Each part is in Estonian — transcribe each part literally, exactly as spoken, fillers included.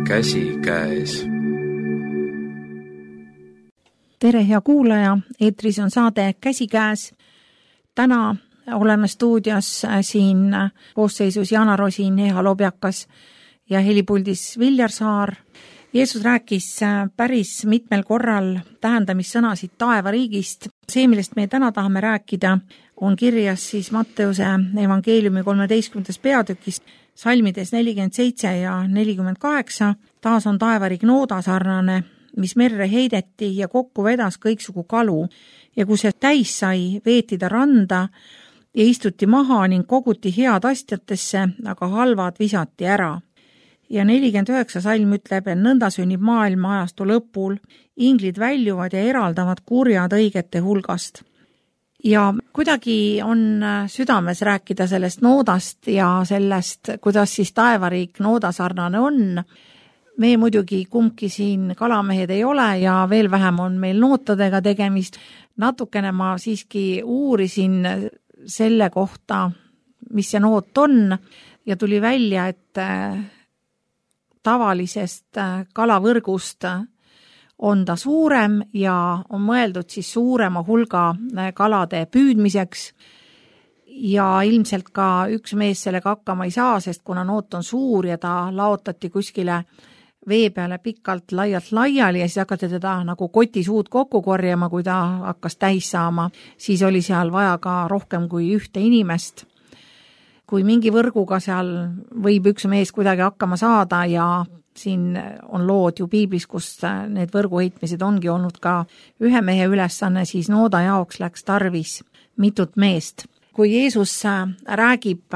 käsikäes. Tere, hea kuulaja, eetris on saade Käsikäes. Täna oleme stuudios siin koosseisus Jana Rosin, Eha Lobjakas ja helipuldis Viljar Saar. Jeesus rääkis päris mitmel korral tähendamissõnasid taevariigist. See, millest me täna tahame rääkida, on kirjas siis Matteuse evangeeliumi kolmeteistkümnendas peatükis, salmides nelikümmend seitse ja nelikümmend kaheksa. Taas on taevariik noodasarnane, mis merre heideti ja kokku vedas kõiksugu kalu. Ja kui see täis sai, veeti ta randa ja istuti maha ning koguti head astjatesse, aga halvad visati ära. Ja nelikümmend üheksa salm ütleb, et nõnda sünnib maailma ajastu lõpul. Inglid väljuvad ja eraldavad kurjad õigete hulgast. Ja kuidagi on südames rääkida sellest noodast ja sellest, kuidas siis taevariik noodasarnane on. Me muidugi kumbki siin kalamehed ei ole ja veel vähem on meil nootadega tegemist. Natukene ma siiski uurisin selle kohta, mis see noot on ja tuli välja, et tavalisest kalavõrgust on ta suurem ja on mõeldud siis suurema hulga kalade püüdmiseks ja ilmselt ka üks mees sellega hakkama ei saa, sest kuna noot on suur ja ta laotati kuskile vee peale pikalt laialt laiali ja siis hakati teda nagu kotisuud kokku korjama, kui ta hakkas täis saama, siis oli seal vaja ka rohkem kui ühte inimest. Kui mingi võrguga seal võib üks mees kuidagi hakkama saada ja siin on lood ju piiblis, kus need võrguheitmised ongi olnud ka ühe mehe ülesanne, siis nooda jaoks läks tarvis mitut meest. Kui Jeesus räägib,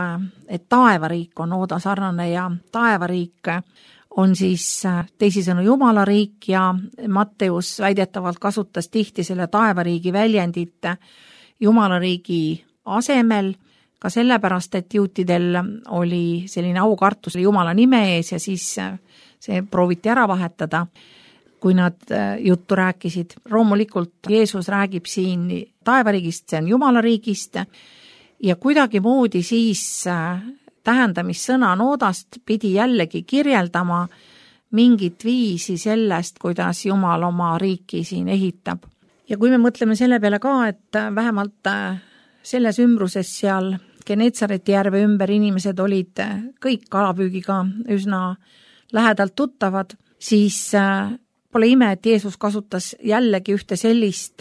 et taevariik on nooda sarnane ja taevariik on siis teisisõnu Jumala riik ja Matteus väidetavalt kasutas tihti selle taevariigi väljendit Jumala riigi asemel, ka sellepärast, et juutidel oli selline aukartus Jumala nime ees ja siis see prooviti ära vahetada, kui nad juttu rääkisid. Loomulikult Jeesus räägib siin taevariigist, see on Jumala riigist ja kuidagi moodi siis tähendamissõna noodast pidi jällegi kirjeldama mingit viisi sellest, kuidas Jumal oma riiki siin ehitab. Ja kui me mõtleme selle peale ka, et vähemalt selles ümbruses seal Genetsareti järve ümber inimesed olid kõik kalapüügiga üsna lähedalt tuttavad, siis pole ime, et Jeesus kasutas jällegi ühte sellist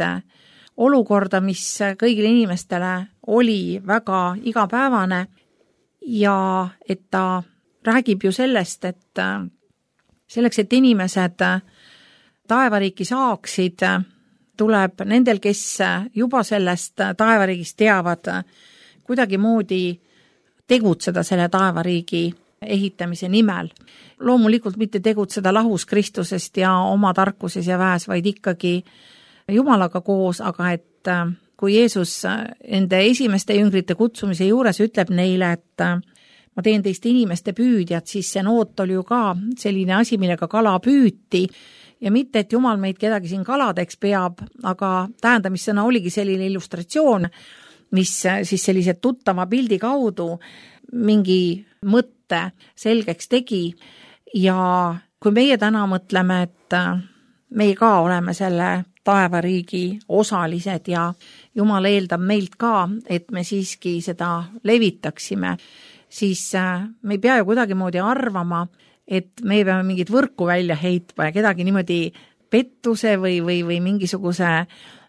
olukorda, mis kõigile inimestele oli väga igapäevane ja et ta räägib ju sellest, et selleks, et inimesed taevariiki saaksid, tuleb nendel, kes juba sellest taevariigist teavad, kuidagi moodi tegutseda selle taevariigi ehitamise nimel. Loomulikult mitte tegutseda lahus Kristusest ja oma tarkuses ja väes, vaid ikkagi Jumalaga koos, aga et kui Jeesus ende esimeste jüngrite kutsumise juures ütleb neile, et ma teen teist inimeste püüdjad, siis see noot oli ju ka selline asi, millega kala püüti ja mitte, et Jumal meid kedagi siin kaladeks peab, aga tähendamissõna oligi selline illustratsioon, mis siis sellise tuttava pildi kaudu mingi mõtte selgeks tegi ja kui meie täna mõtleme, et meie ka oleme selle taevariigi osalised ja Jumal eeldab meilt ka, et me siiski seda levitaksime, siis me ei pea ju kuidagi moodi arvama, et me peame mingit võrku välja heitma ja kedagi niimoodi pettuse või, või, või mingisuguse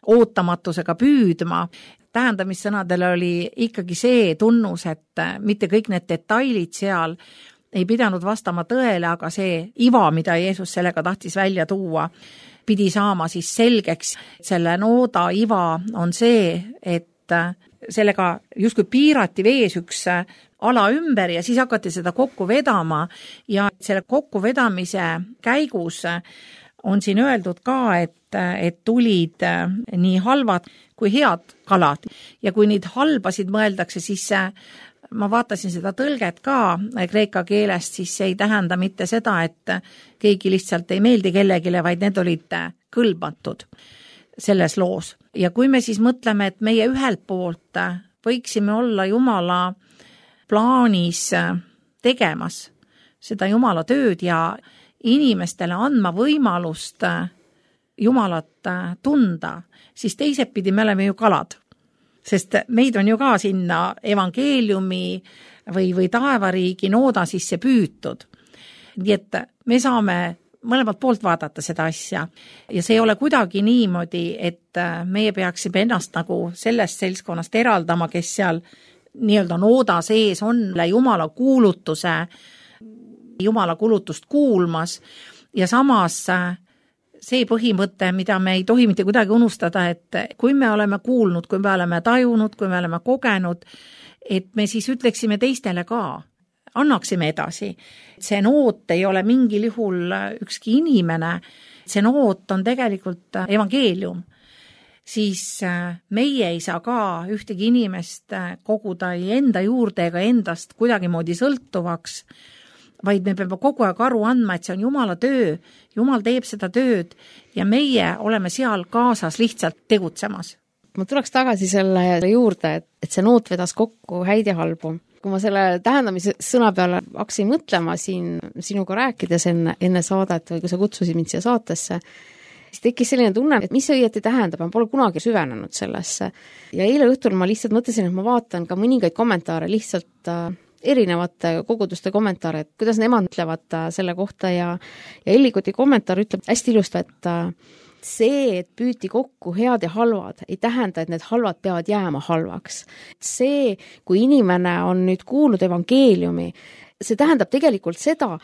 ootamatusega püüdma. Tähendamissõnadel oli ikkagi see tunnus, et mitte kõik need detailid seal ei pidanud vastama tõele, aga see iva, mida Jeesus sellega tahtis välja tuua, pidi saama siis selgeks. Selle nooda iva on see, et sellega justkui piirati vees üks ala ümber ja siis hakati seda kokku vedama ja selle kokkuvedamise käigus on siin öeldud ka, et, et tulid nii halvad kui head kalad ja kui neid halbasid mõeldakse, siis ma vaatasin seda tõlget ka kreeka keelest, siis see ei tähenda mitte seda, et keegi lihtsalt ei meeldi kellegile, vaid need olid kõlbatud selles loos. Ja kui me siis mõtleme, et meie ühelt poolt võiksime olla Jumala plaanis tegemas seda Jumala tööd ja, inimestele andma võimalust Jumalat tunda, siis teiselt pidi me oleme ju kalad. Sest meid on ju ka sinna evangeeliumi või, või taevariigi nooda sisse püütud. Nii et me saame mõlemalt poolt vaadata seda asja. Ja see ei ole kuidagi niimoodi, et meie peaksime ennast nagu sellest seltskonnast eraldama, kes seal nii-öelda nooda sees on Jumala kuulutuse, Jumala kuulutust kuulmas ja samas see põhimõte, mida me ei tohi mitte kuidagi unustada, et kui me oleme kuulnud, kui me oleme tajunud, kui me oleme kogenud, et me siis ütleksime teistele ka, annaksime edasi. See noot ei ole mingil juhul ükski inimene, see noot on tegelikult evangeelium. Siis meie ei saa ka ühtegi inimest koguda enda juurde ega endast kuidagi moodi sõltuvaks, vaid me peame kogu aeg aru andma, et see on Jumala töö, Jumal teeb seda tööd ja meie oleme seal kaasas lihtsalt tegutsemas. Ma tuleks tagasi selle juurde, et see noot vedas kokku häid ja halbu. Kui ma selle tähendamise sõna peale hakkasin mõtlema siin sinuga rääkides enne, enne saadet või kui sa kutsusid mind siia saatesse, siis tekkis selline tunne, et mis see õieti tähendab, ma pole kunagi süvenenud sellesse. Ja eile õhtul ma lihtsalt mõtlesin, et ma vaatan ka mõningaid kommentaare lihtsalt erinevate koguduste kommentaare, et kuidas nemad ütlevad selle kohta ja, ja Ellikuti kommentaar ütleb hästi ilusti, et see, et püüti kokku head ja halvad, ei tähenda, et need halvad peavad jääma halvaks. See, kui inimene on nüüd kuulnud evangeeliumi, see tähendab tegelikult seda,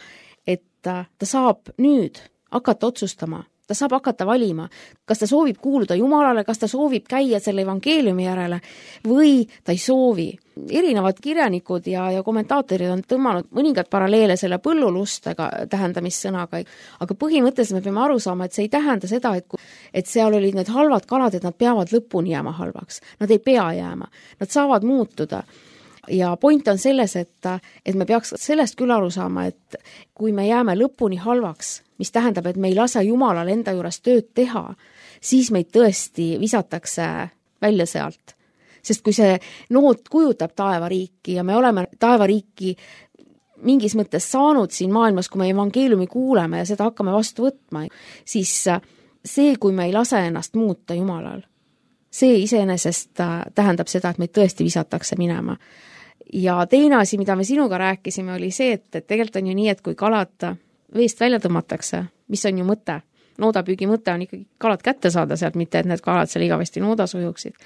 et ta saab nüüd hakata otsustama, ta saab hakata valima, kas ta soovib kuuluda Jumalale, kas ta soovib käia selle evangeeliumi järele või ta ei soovi. Erinevad kirjanikud ja, ja kommentaatorid on tõmmanud mõningad paralleele selle põllulustega tähendamissõnaga, aga põhimõtteliselt me peame aru saama, et see ei tähenda seda, et, et seal olid need halvad kalad, et nad peavad lõpuni jääma halvaks. Nad ei pea jääma, nad saavad muutuda. Ja point on selles, et, et me peaks sellest küll aru saama, et kui me jääme lõpuni halvaks, mis tähendab, et me ei lase Jumalal enda juures tööd teha, siis meid tõesti visatakse välja sealt. Sest kui see noot kujutab taevariiki ja me oleme taevariiki mingis mõttes saanud siin maailmas, kui me evangeeliumi kuuleme ja seda hakkame vastu võtma, siis see, kui me ei lase ennast muuta Jumalal, see iseenesest tähendab seda, et meid tõesti visatakse minema. Ja teine asi, mida me sinuga rääkisime, oli see, et, et tegelikult on ju nii, et kui kalad veest välja tõmmatakse, mis on ju mõte, noodapüügi mõte on ikkagi kalad kätte saada sealt, mitte et need kalad seal igavesti noodas ujuksid,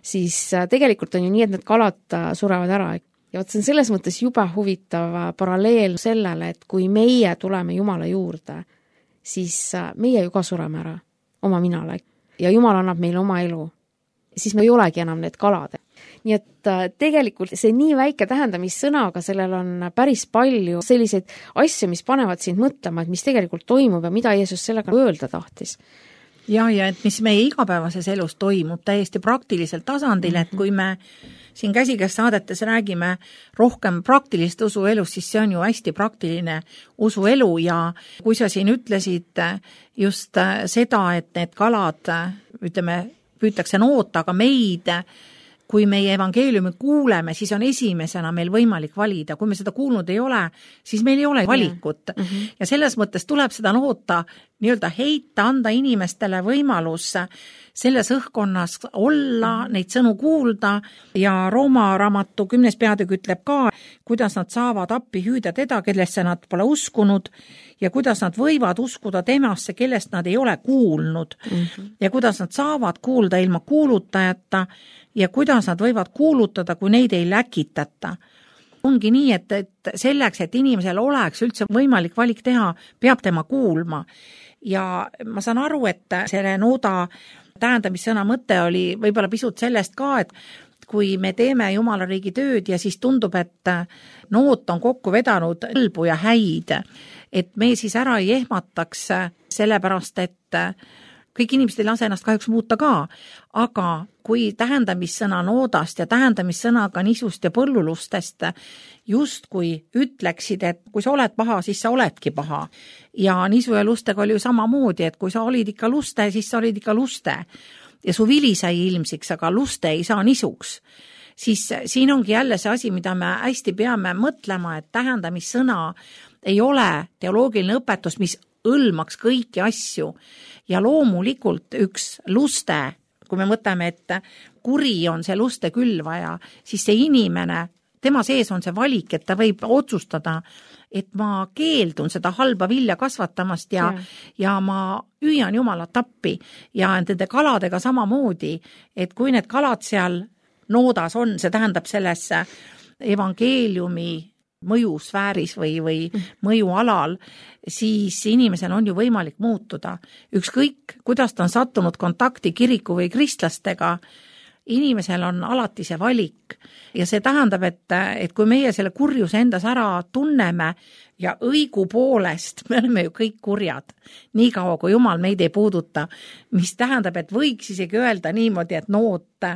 siis tegelikult on ju nii, et need kalad surevad ära. Ja võt see on selles mõttes jube huvitav paralleel sellele, et kui meie tuleme Jumala juurde, siis meie ju ka sureme ära oma minale ja Jumal annab meile oma elu. Siis me ei olegi enam need kalad. Nii et tegelikult see nii väike tähendamissõna, aga sellel on päris palju selliseid asju, mis panevad sind mõtlema, et mis tegelikult toimub ja mida Jeesus sellega öelda tahtis. Ja, ja et mis meie igapäevases elus toimub täiesti praktilisel tasandil, et kui me siin käsikäes saadetes räägime rohkem praktilist usuelust, siis see on ju hästi praktiline usuelu ja kui sa siin ütlesid just seda, et need kalad, ütleme, püütakse noota, aga meid, kui meie evangeeliumi kuuleme, siis on esimesena meil võimalik valida. Kui me seda kuulnud ei ole, siis meil ei ole valikut. Mm-hmm. Ja selles mõttes tuleb seda noota nii-öelda heita, anda inimestele võimalus selles õhkonnas olla, neid sõnu kuulda ja Rooma raamatu kümnes peatükk ütleb ka, kuidas nad saavad appi hüüda teda, kellesse nad pole uskunud ja kuidas nad võivad uskuda temasse, kellest nad ei ole kuulnud mm-hmm. ja kuidas nad saavad kuulda ilma kuulutajata ja kuidas nad võivad kuulutada, kui neid ei läkitata. Ongi nii, et, et selleks, et inimesel oleks üldse võimalik valik teha, peab tema kuulma. Ja ma saan aru, et selle nooda tähendamissõna mõte oli võib-olla pisut sellest ka, et kui me teeme Jumala riigi tööd ja siis tundub, et noot on kokku vedanud õlbu ja häid, et me siis ära ei ehmataks sellepärast, et kõik inimesed ei lase ennast kahjuks muuta ka, aga kui tähendamissõna noodast ja tähendamissõnaga nisust ja põllulustest just kui ütleksid, et kui sa oled paha, siis sa oledki paha. Ja nisu ja lustega oli ju samamoodi, et kui sa olid ikka luste, siis sa olid ikka luste. Ja su vili sai ilmsiks, aga luste ei saa nisuks. Siis siin ongi jälle see asi, mida me hästi peame mõtlema, et tähendamissõna ei ole teoloogiline õpetus, mis hõlmaks kõiki asju ja loomulikult üks luste, kui me mõtleme, et kuri on see luste külvaja, siis see inimene, tema sees on see valik, et ta võib otsustada, et ma keeldun seda halba vilja kasvatamast ja, ja. ja ma hüüan Jumalat appi ja nende kaladega samamoodi, et kui need kalad seal noodas on, see tähendab sellesse evangeeliumi mõjusfääris või, või mõjualal, siis inimesel on ju võimalik muutuda. Ükskõik, kuidas ta on sattunud kontakti kiriku või kristlastega, inimesel on alati see valik ja see tähendab, et, et kui meie selle kurjuse endas ära tunneme ja õigu poolest, me oleme ju kõik kurjad, nii kaua kui Jumal meid ei puuduta, mis tähendab, et võiks isegi öelda niimoodi, et noot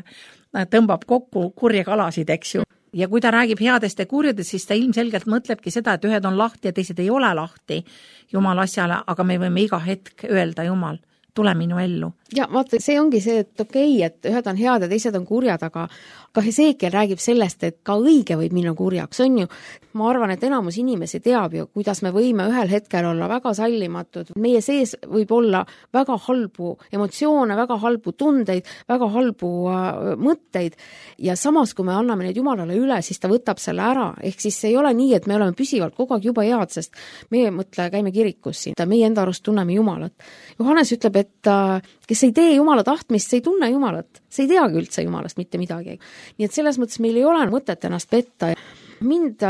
tõmbab kokku kurje kalasid, eks ju. Ja kui ta räägib headest ja kurjadest, siis ta ilmselgelt mõtlebki seda, et ühed on lahti ja teised ei ole lahti Jumala asjale, aga me võime iga hetk öelda Jumal, tule minu ellu. Ja vaata, see ongi see, et okei, okay, et ühed on head ja teised on kurjad, aga ka Hesekiel räägib sellest, et ka õige võib minna kurjaks, on ju. Ma arvan, et enamus inimesi teab ju, kuidas me võime ühel hetkel olla väga sallimatud. Meie sees võib olla väga halbu emotsioone, väga halbu tundeid, väga halbu äh, mõtteid ja samas, kui me anname neid Jumalale üle, siis ta võtab selle ära. Ehk siis ei ole nii, et me oleme püsivalt kogu aeg juba head, sest meie mõtle, käime kirikus siin, meie enda arust tunneme Jumalat. Johannes ütleb, et äh, kes ei tee Jumala tahtmist, see ei tunne Jumalat. See ei teagi üldse Jumalast mitte midagi. Nii et selles mõttes meil ei ole mõtet ennast petta. Mind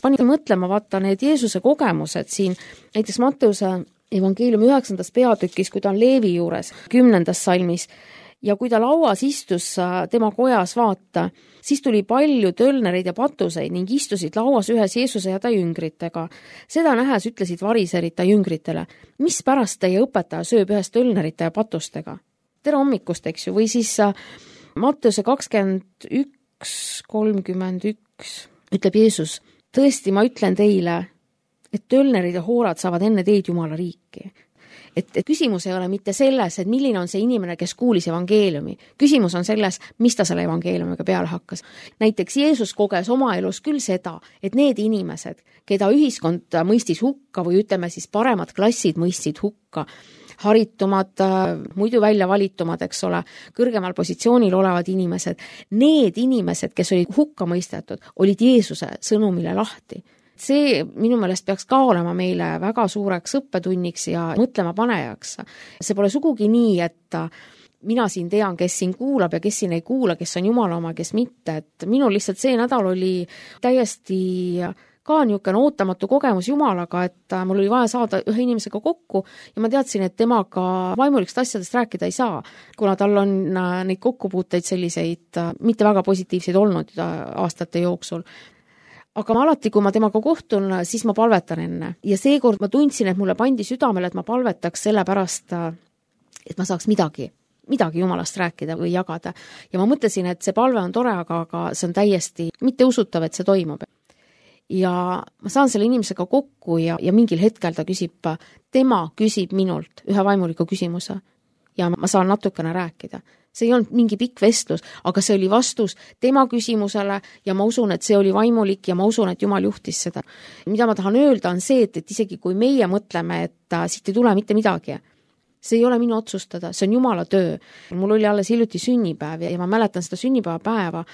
pani mõtlema, vaata need Jeesuse kogemused siin, näiteks Matteuse evangeeliumi üheksandas peatükis, kui ta on Leevi juures, kümnendas salmis, ja kui ta lauas istus tema kojas vaata, siis tuli palju tölnereid ja patuseid ning istusid lauas ühes Jeesuse ja ta jüngritega. Seda nähes ütlesid variserid ta jüngritele, mis pärast teie õpetaja sööb ühes tölnerite ja patustega? Tere hommikust, eks ju, või siis Matteuse kakskümmend üks kolmkümmend üks ütleb Jeesus, tõesti ma ütlen teile, et tölnerid ja hoorad saavad enne teid Jumala riiki. Et, et küsimus ei ole mitte selles, et milline on see inimene, kes kuulis evangeeliumi. Küsimus on selles, mis ta selle evangeeliumiga peale hakkas. Näiteks Jeesus koges oma elus küll seda, et need inimesed, keda ühiskond mõistis hukka või ütleme siis paremad klassid mõistsid hukka, haritumad, muidu välja valitumad, eks ole, kõrgemal positsioonil olevad inimesed, need inimesed, kes olid hukka mõistetud, olid Jeesuse sõnumile lahti. See minu meelest peaks ka olema meile väga suureks õppetunniks ja mõtlema panejaks. See pole sugugi nii, et mina siin tean, kes siin kuulab ja kes siin ei kuula, kes on Jumala oma, kes mitte. Et minul lihtsalt see nädal oli täiesti ka niisugune ootamatu kogemus Jumalaga, et mul oli vaja saada ühe inimesega kokku ja ma teadsin, et temaga vaimulikest asjadest rääkida ei saa, kuna tal on neid kokkupuuteid selliseid mitte väga positiivseid olnud aastate jooksul. Aga ma alati, kui ma temaga kohtun, siis ma palvetan enne. Ja seekord ma tundsin, et mulle pandi südamele, et ma palvetaks selle pärast, et ma saaks midagi, midagi Jumalast rääkida või jagada. Ja ma mõtlesin, et see palve on tore, aga, aga see on täiesti mitte usutav, et see toimub. Ja ma saan selle inimesega kokku ja, ja mingil hetkel ta küsib, tema küsib minult ühe vaimuliku küsimuse ja ma saan natukene rääkida. See ei olnud mingi pikk vestlus, aga see oli vastus tema küsimusele ja ma usun, et see oli vaimulik ja ma usun, et Jumal juhtis seda. Mida ma tahan öelda on see, et, et isegi kui meie mõtleme, et siit ei tule mitte midagi, see ei ole minu otsustada, see on Jumala töö. Mul oli alles hiljuti sünnipäev ja ma mäletan seda sünnipäeva päeva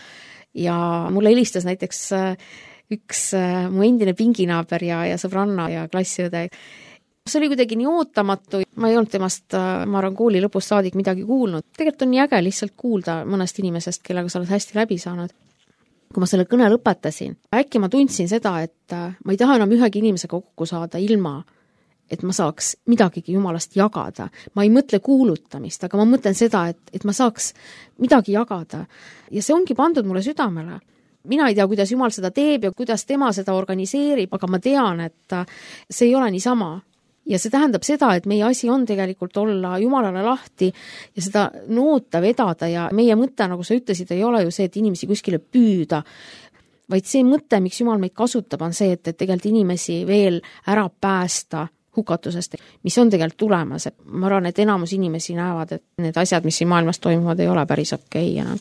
ja mulle helistas näiteks üks mu endine pinginaaber ja, ja sõbranna ja klassiõde. See oli kuidagi nii ootamatu, ma ei olnud temast, ma arvan, kooli lõpust saadik midagi kuulnud. Tegelikult on nii äge lihtsalt kuulda mõnest inimesest, kellega sa oled hästi läbi saanud. Kui ma selle kõne lõpetasin, äkki ma tundsin seda, et ma ei taha enam ühegi inimesega kokku saada ilma, et ma saaks midagigi Jumalast jagada. Ma ei mõtle kuulutamist, aga ma mõtlen seda, et, et ma saaks midagi jagada. Ja see ongi pandud mulle südamele. Mina ei tea, kuidas Jumal seda teeb ja kuidas tema seda organiseerib, aga ma tean, et see ei ole niisama. Ja see tähendab seda, et meie asi on tegelikult olla Jumalale lahti ja seda noota vedada ja meie mõte, nagu sa ütlesid, ei ole ju see, et inimesi kuskile püüda, vaid see mõte, miks Jumal meid kasutab, on see, et, et tegelikult inimesi veel ära päästa hukatusest, mis on tegelikult tulemas. Ma arvan, et enamus inimesi näevad, et need asjad, mis siin maailmas toimuvad, ei ole päris okei enam.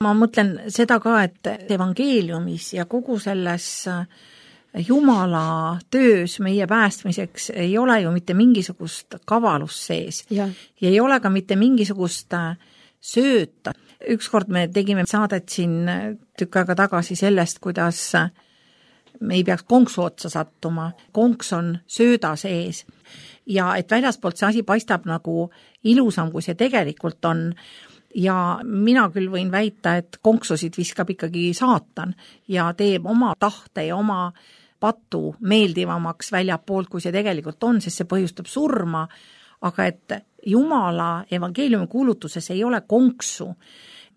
Ma mõtlen seda ka, et evangeeliumis ja kogu selles Jumala töös meie päästmiseks ei ole ju mitte mingisugust kavalust sees ja, ja ei ole ka mitte mingisugust sööta. Ükskord me tegime saadet siin tükk aega tagasi sellest, kuidas me ei peaks konksu otsa sattuma. Konks on sööda sees ja et väljaspoolt see asi paistab nagu ilusam, kui see tegelikult on. Ja mina küll võin väita, et konksusid viskab ikkagi saatan ja teeb oma tahte ja oma patu meeldivamaks väljapoolt, kui see tegelikult on, sest see põhjustab surma, aga et Jumala evangeeliumi kuulutuses ei ole konksu.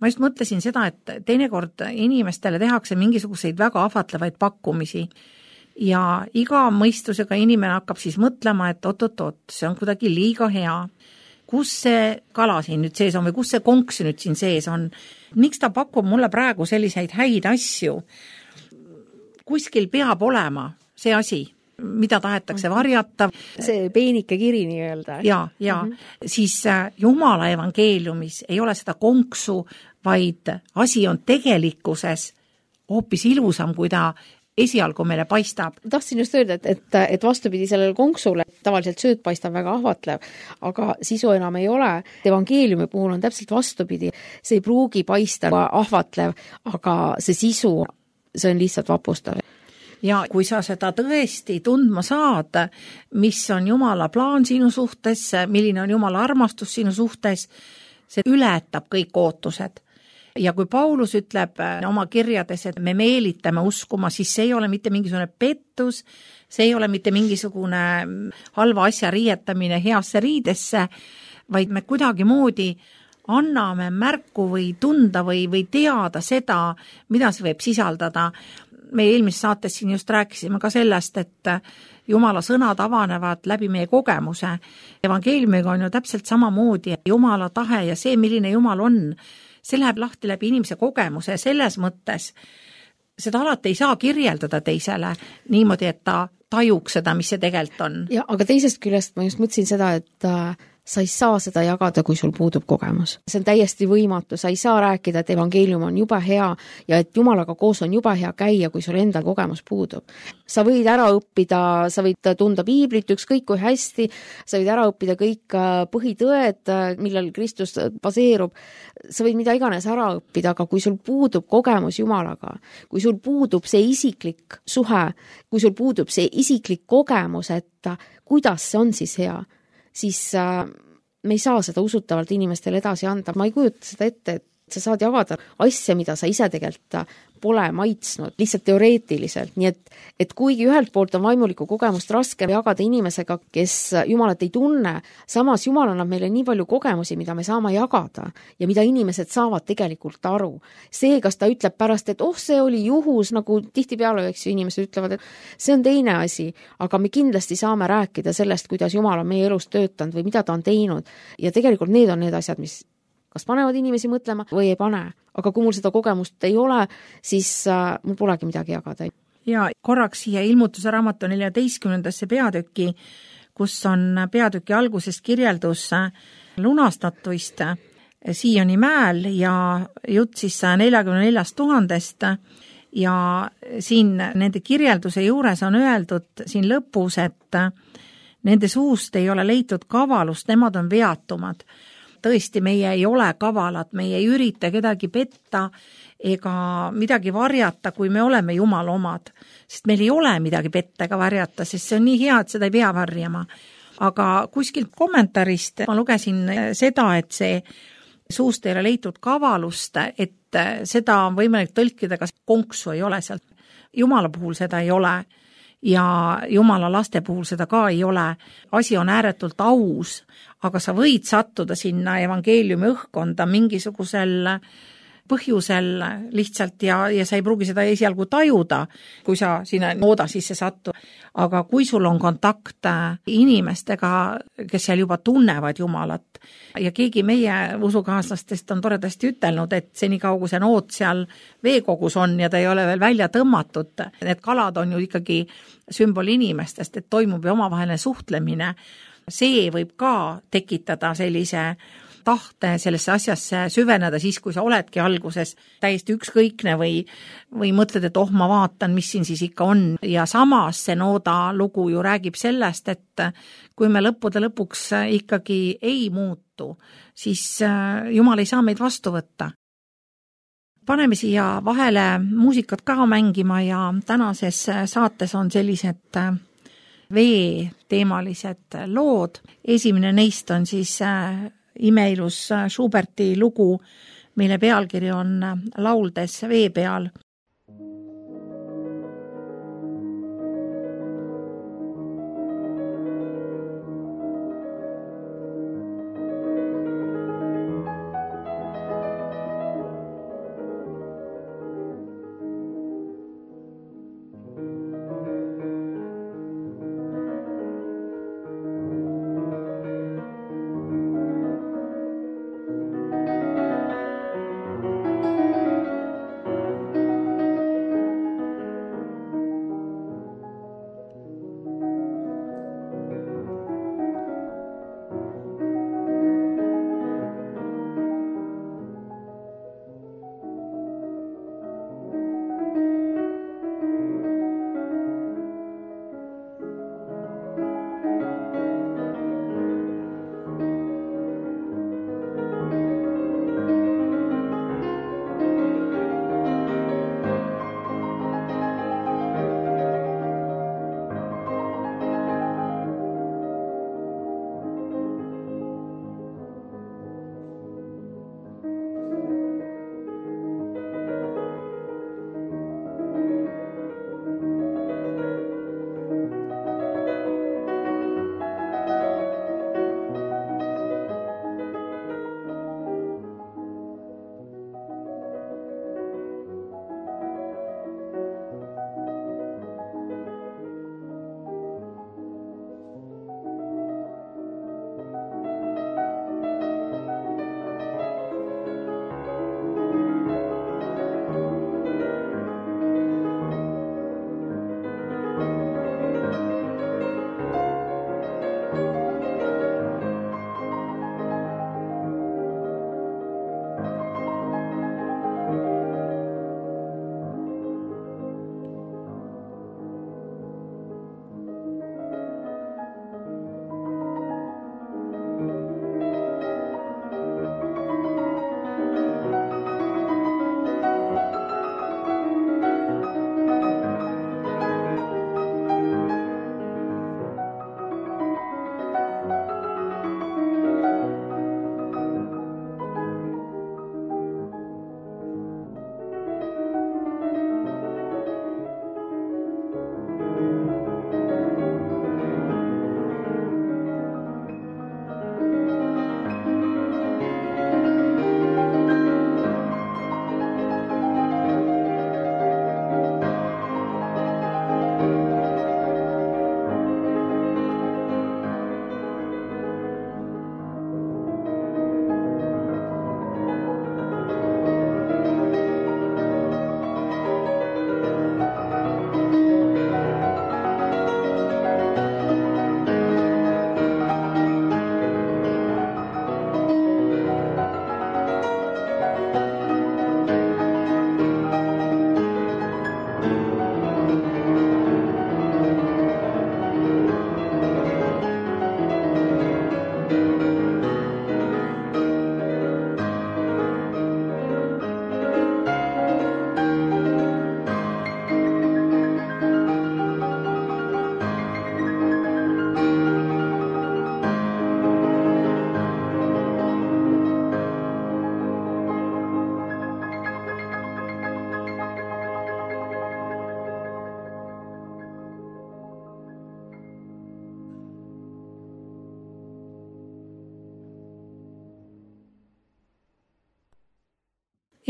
Ma just mõtlesin seda, et teinekord inimestele tehakse mingisuguseid väga ahvatlevaid pakkumisi ja iga mõistusega inimene hakkab siis mõtlema, et oot-oot-oot, see on kuidagi liiga hea. Kus see kala siin nüüd sees on või kus see konks nüüd siin sees on? Miks ta pakub mulle praegu selliseid häid asju? Kuskil peab olema see asi, mida tahetakse varjata. See peenike kiri nii öelda. Ja, ja mm -hmm. siis Jumala evangeeliumis ei ole seda konksu, vaid asi on tegelikkuses hoopis ilusam, kui ta esialgu meile paistab. Tahtsin just öelda, et, et, et vastupidi sellele konksule, tavaliselt sööt paistab väga ahvatlev, aga sisu enam ei ole. Evangeeliumi puhul on täpselt vastupidi. See ei pruugi paista ahvatlev, aga see sisu, see on lihtsalt vapustav. Ja kui sa seda tõesti tundma saad, mis on Jumala plaan sinu suhtes, milline on Jumala armastus sinu suhtes, see ületab kõik ootused. Ja kui Paulus ütleb oma kirjades, et me meelitame uskuma, siis see ei ole mitte mingisugune pettus, see ei ole mitte mingisugune halva asja riietamine heasse riidesse, vaid me kuidagi moodi anname märku või tunda või, või teada seda, mida see võib sisaldada. Me eelmises saates siin just rääkisime ka sellest, et Jumala sõnad avanevad läbi meie kogemuse. Evangeeliumiga on ju täpselt samamoodi Jumala tahe ja see, milline Jumal on, see läheb lahti läbi inimese kogemuse ja selles mõttes seda alati ei saa kirjeldada teisele niimoodi, et ta tajuks seda, mis see tegelikult on. Ja, aga teisest küljest ma just mõtlesin seda, et sa ei saa seda jagada, kui sul puudub kogemus. See on täiesti võimatu, sa ei saa rääkida, et evangeelium on jube hea ja et Jumalaga koos on jube hea käia, kui sul enda kogemus puudub. Sa võid ära õppida, sa võid tunda piiblit ükskõik kui hästi, sa võid ära õppida kõik põhitõed, millel Kristus baseerub, sa võid mida iganes ära õppida, aga kui sul puudub kogemus Jumalaga, kui sul puudub see isiklik suhe, kui sul puudub see isiklik kogemus, et kuidas see on siis hea, siis äh, me ei saa seda usutavalt inimestele edasi anda. Ma ei kujuta seda ette, et sa saad jagada asja, mida sa ise tegelikult pole maitsnud, lihtsalt teoreetiliselt. Nii et, et kuigi ühelt poolt on vaimulikku kogemust raske jagada inimesega, kes Jumalat ei tunne, samas Jumal annab meile nii palju kogemusi, mida me saame jagada ja mida inimesed saavad tegelikult aru. See, kas ta ütleb pärast, et oh, see oli juhus, nagu tihtipeale, eks ju, inimesed ütlevad, et see on teine asi, aga me kindlasti saame rääkida sellest, kuidas Jumal on meie elus töötanud või mida ta on teinud. Ja tegelikult need on need asjad, mis kas panevad inimesi mõtlema või ei pane. Aga kui mul seda kogemust ei ole, siis äh, mul polegi midagi jagada. Ja korraks siia ilmutuse raamatu neljateistkümnendasse peatükki, kus on peatüki algusest kirjeldus lunastatuist Sioni mäel ja jutt siis neljakümne neljast tuhandest ja siin nende kirjelduse juures on öeldud siin lõpus, et nende suust ei ole leitud kavalust, nemad on veatumad. Tõesti, meie ei ole kavalad, meie ei ürita kedagi petta ega midagi varjata, kui me oleme Jumala omad. Sest meil ei ole midagi petta ega varjata, sest see on nii hea, et seda ei pea varjama. Aga kuskilt kommentaarist ma lugesin seda, et see suust ei ole leitud kavalust, et seda on võimalik tõlkida, kas konksu ei ole sealt. Jumala puhul seda ei ole ja Jumala laste puhul seda ka ei ole. Asi on ääretult aus, aga sa võid sattuda sinna evangeeliumi õhkkonda mingisugusel põhjusel lihtsalt ja, ja sa ei pruugi seda esialgu tajuda, kui sa sinna nooda sisse sattu. Aga kui sul on kontakt inimestega, kes seal juba tunnevad Jumalat ja keegi meie usukaaslastest on toredasti ütelnud, et senikaua kui see nood seal veekogus on ja ta ei ole veel välja tõmmatud, need kalad on ju ikkagi sümbol inimestest, et toimub ju omavaheline suhtlemine. See võib ka tekitada sellise tahte sellesse asjasse süveneda siis, kui sa oledki alguses täiesti ükskõikne või, või mõtled, et oh, ma vaatan, mis siin siis ikka on. Ja samas see Nooda lugu ju räägib sellest, et kui me lõppude lõpuks ikkagi ei muutu, siis Jumal ei saa meid vastu võtta. Paneme siia vahele muusikat ka mängima ja tänases saates on sellised veeteemalised lood. Esimene neist on siis imeilus Schuberti lugu, mille pealkiri on Lauldes vee peal.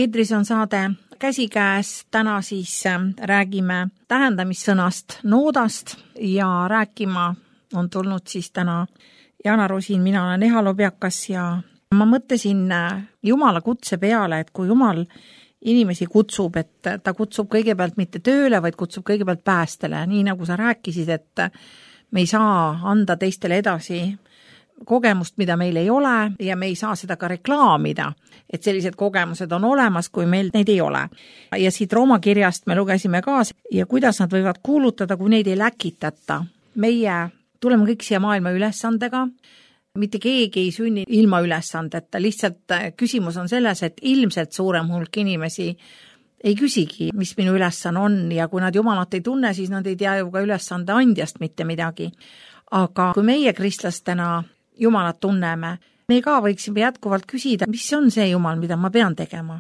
Eetris on saade Käsikäes, täna siis räägime tähendamissõnast Noodast ja rääkima on tulnud siis täna Jana Rosin, mina olen Eha Lobjakas ja ma mõtlesin Jumala kutse peale, et kui Jumal inimesi kutsub, et ta kutsub kõigepealt mitte tööle, vaid kutsub kõigepealt päästele, nii nagu sa rääkisid, et me ei saa anda teistele edasi kogemust, mida meil ei ole ja me ei saa seda ka reklaamida, et sellised kogemused on olemas, kui meil neid ei ole. Ja siit Rooma kirjast me lugesime ka ja kuidas nad võivad kuulutada, kui neid ei läkitata. Meie tuleme kõik siia maailma ülesandega, mitte keegi ei sünni ilma ülesandeta, lihtsalt küsimus on selles, et ilmselt suurem hulk inimesi ei küsigi, mis minu ülesanne on ja kui nad Jumalat ei tunne, siis nad ei tea ju ka ülesande andjast mitte midagi. Aga kui meie kristlastena Jumalat tunneme, me ka võiksime jätkuvalt küsida, mis on see Jumal, mida ma pean tegema?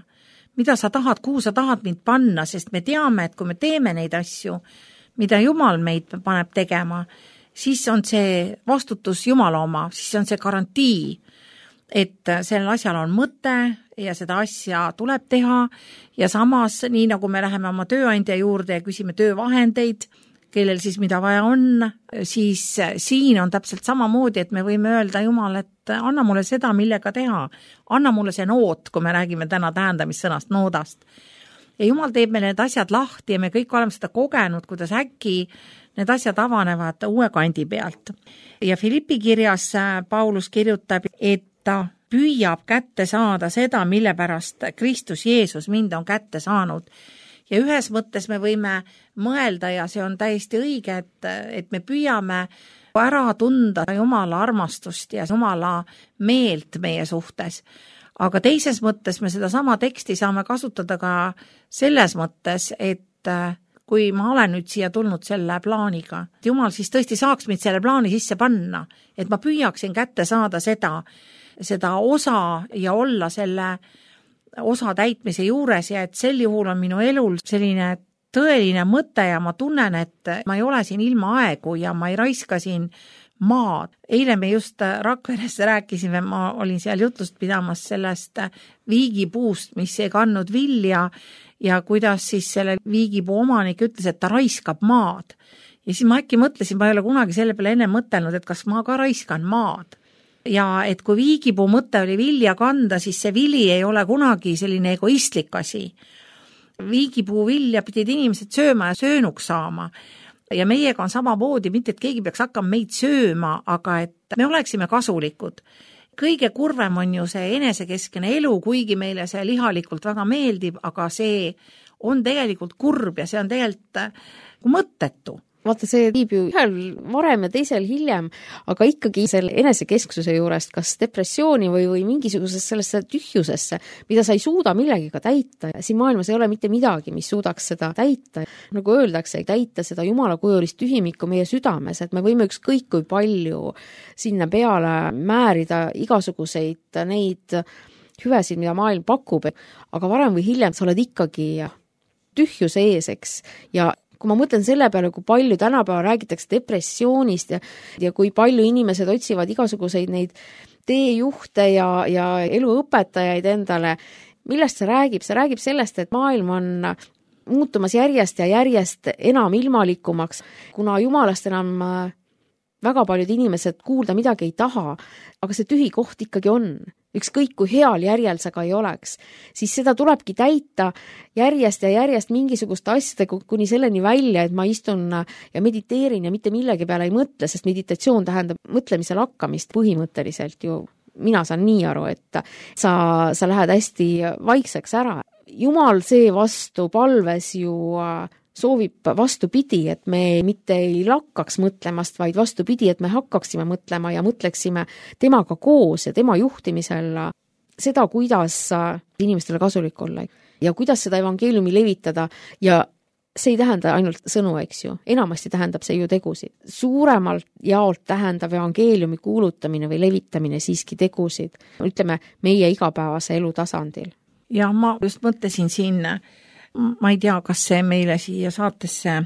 Mida sa tahad, kuhu sa tahad mind panna, sest me teame, et kui me teeme neid asju, mida Jumal meid paneb tegema, siis on see vastutus Jumala oma, siis on see garantii, et sellel asjal on mõte ja seda asja tuleb teha ja samas, nii nagu me läheme oma tööandja juurde ja küsime töövahendeid, kellel siis mida vaja on, siis siin on täpselt samamoodi, et me võime öelda Jumal, et anna mulle seda, millega teha. Anna mulle see noot, kui me räägime täna tähendamissõnast noodast. Ja Jumal teeb meil need asjad lahti ja me kõik oleme seda kogenud, kuidas äkki need asjad avanevad uue kandi pealt. Ja Filippi kirjas Paulus kirjutab, et ta püüab kätte saada seda, mille pärast Kristus Jeesus mind on kätte saanud. Ja ühes mõttes me võime mõelda ja see on täiesti õige, et, et me püüame ära tunda Jumala armastust ja Jumala meelt meie suhtes. Aga teises mõttes me seda sama teksti saame kasutada ka selles mõttes, et kui ma olen nüüd siia tulnud selle plaaniga, et Jumal siis tõesti saaks mind selle plaani sisse panna, et ma püüaksin kätte saada seda, seda osa ja olla selle osa täitmise juures ja et sel juhul on minu elul selline tõeline mõte ja ma tunnen, et ma ei ole siin ilma aegu ja ma ei raiska siin maad. Eile me just Rakveres rääkisime, ma olin seal jutlust pidamas sellest viigipuust, mis ei kandnud vilja ja kuidas siis selle viigipuu omanik ütles, et ta raiskab maad. Ja siis ma äkki mõtlesin, ma ei ole kunagi selle peale enne mõtelnud, et kas ma ka raiskan maad. Ja et kui viigipuu mõte oli vilja kanda, siis see vili ei ole kunagi selline egoistlik asi. Viigipuu vilja pidid inimesed sööma ja söönuks saama. Ja meiega on samamoodi, mitte et keegi peaks hakkama meid sööma, aga et me oleksime kasulikud. Kõige kurvem on ju see enesekeskene elu, kuigi meile see lihalikult väga meeldib, aga see on tegelikult kurb ja see on tegelikult mõttetu. Vaata, see viib ju ühel varem ja teisel hiljem, aga ikkagi selle enesekesksuse juurest kas depressiooni või, või mingisugusesse sellesse tühjusesse, mida sa ei suuda millegiga täita. Siin maailmas ei ole mitte midagi, mis suudaks seda täita. Nagu öeldakse, täita seda Jumala kujulist tühimikku meie südames, et me võime ükskõik kui palju sinna peale määrida igasuguseid neid hüvesid, mida maailm pakub, aga varem või hiljem sa oled ikkagi tühjuse ees, eks, ja kui ma mõtlen selle peale, kui palju tänapäeval räägitakse depressioonist ja, ja kui palju inimesed otsivad igasuguseid neid teejuhte ja, ja eluõpetajaid endale, millest see räägib? See räägib sellest, et maailm on muutumas järjest ja järjest enam ilmalikumaks, kuna Jumalast enam väga paljud inimesed kuulda midagi ei taha, aga see tühi koht ikkagi on. Ükskõik kui heal järjel sa ka ei oleks, siis seda tulebki täita järjest ja järjest mingisuguste asjadega kuni selleni välja, et ma istun ja mediteerin ja mitte millegi peale ei mõtle, sest meditatsioon tähendab mõtlemisel hakkamist põhimõtteliselt ju. Mina saan nii aru, et sa, sa lähed hästi vaikseks ära. Jumal seevastu palves ju soovib vastupidi, et me mitte ei lakkaks mõtlemast, vaid vastupidi, et me hakkaksime mõtlema ja mõtleksime temaga koos ja tema juhtimisel seda, kuidas inimestele kasulik olla ja kuidas seda evangeeliumi levitada ja see ei tähenda ainult sõnu, eks ju. Enamasti tähendab see ju tegusid. Suuremalt jaolt tähendab evangeeliumi kuulutamine või levitamine siiski tegusid, ütleme, meie igapäevase elu tasandil. Ja ma just mõtlesin siin, ma ei tea, kas see meile siia saatesse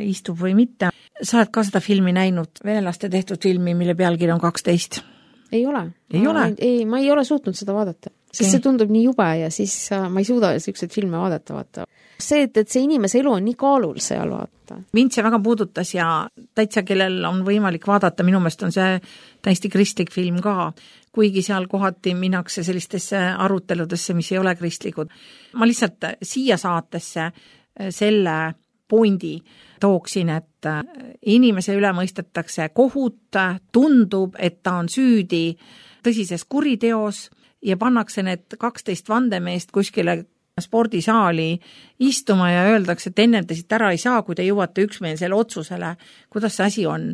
istub või mitte. Sa oled ka seda filmi näinud, venelaste tehtud filmi, mille pealkiri on kaksteist? Ei ole. Ei ma, ole? Ei, ma ei ole suutnud seda vaadata, sest okay. See tundub nii jube ja siis ma ei suuda selliseid filme vaadata, vaata. See, et, et see inimese elu on nii kaalul seal, vaata. Mind see väga puudutas ja täitsa, kellel on võimalik vaadata, minu meelest on see täiesti kristlik film ka, kuigi seal kohati minnakse sellistesse aruteludesse, mis ei ole kristlikud. Ma lihtsalt siia saatesse selle pundi tooksin, et inimese üle mõistetakse kohut, tundub, et ta on süüdi tõsises kuriteos ja pannakse need kaksteist vandemeest kuskile spordisaali istuma ja öeldakse, et ennem te siit ära ei saa, kui te jõuate üksmeelsele otsusele, kuidas see asi on.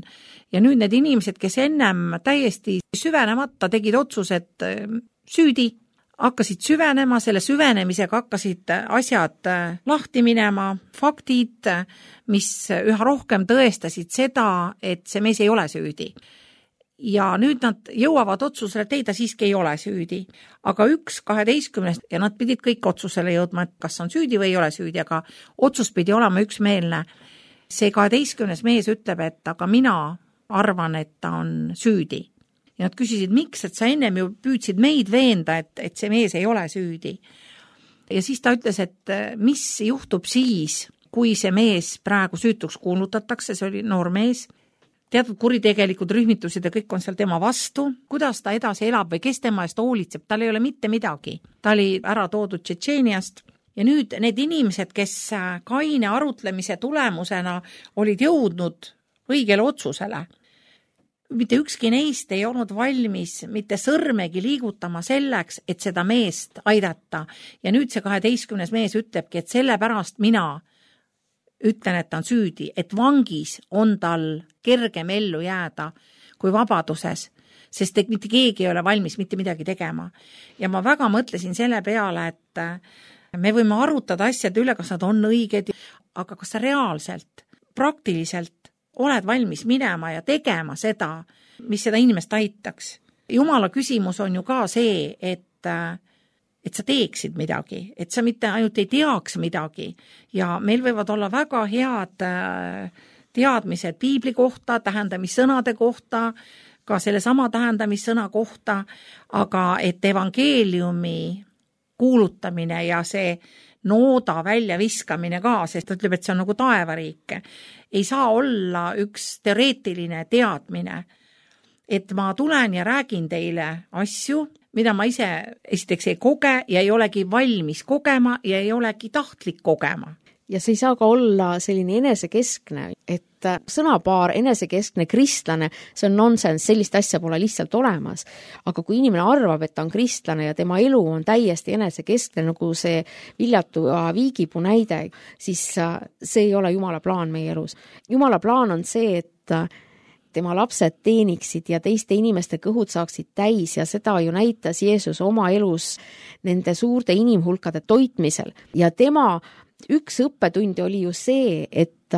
Ja nüüd need inimesed, kes ennem täiesti süvenemata tegid otsused süüdi, hakkasid süvenema, selle süvenemisega hakkasid asjad lahti minema, faktid, mis üha rohkem tõestasid seda, et see mees ei ole süüdi. Ja nüüd nad jõuavad otsusele, et ei, ta siiski ei ole süüdi. Aga üks kaheteistkümnest ja nad pidid kõik otsusele jõudma, et kas on süüdi või ei ole süüdi, aga otsus pidi olema üksmeelne. See kaheteistkümnes mees ütleb, et aga mina arvan, et ta on süüdi. Ja nad küsisid, miks, et sa ennem ju püüdsid meid veenda, et, et see mees ei ole süüdi. Ja siis ta ütles, et mis juhtub siis, kui see mees praegu süütuks kuulutatakse, see oli noor mees, teatud kuritegelikud rühmitused ja kõik on seal tema vastu, kuidas ta edasi elab või kes tema eest hoolitseb, tal ei ole mitte midagi. Ta oli ära toodud Tšetšeeniast ja nüüd need inimesed, kes kaine arutlemise tulemusena olid jõudnud õigele otsusele, mitte ükski neist ei olnud valmis mitte sõrmegi liigutama selleks, et seda meest aidata. Ja nüüd see kaheteistkümnes mees ütlebki, et sellepärast mina ütlen, et ta on süüdi, et vangis on tal kergem ellu jääda kui vabaduses, sest et mitte keegi ei ole valmis mitte midagi tegema. Ja ma väga mõtlesin selle peale, et me võime arutada asjad üle, kas nad on õiged, aga kas sa reaalselt, praktiliselt oled valmis minema ja tegema seda, mis seda inimest aitaks. Jumala küsimus on ju ka see, et et sa teeksid midagi, et sa mitte ainult ei teaks midagi ja meil võivad olla väga head teadmised piibli kohta, tähendamissõnade kohta, ka selle sama tähendamissõna kohta, aga et evangeeliumi kuulutamine ja see nooda välja viskamine ka, sest ta ütleb, et see on nagu taevariik, ei saa olla üks teoreetiline teadmine, et ma tulen ja räägin teile asju, mida ma ise esiteks ei koge ja ei olegi valmis kogema ja ei olegi tahtlik kogema. Ja see ei saa ka olla selline enesekeskne, et sõnapaar enesekeskne kristlane, see on nonsense, sellist asja pole lihtsalt olemas. Aga kui inimene arvab, et ta on kristlane ja tema elu on täiesti enesekeskne, nagu see Viljatu viigipuu näide, siis see ei ole Jumala plaan meie elus. Jumala plaan on see, et tema lapsed teeniksid ja teiste inimeste kõhud saaksid täis ja seda ju näitas Jeesus oma elus nende suurte inimhulkade toitmisel. Ja tema üks õppetundi oli ju see, et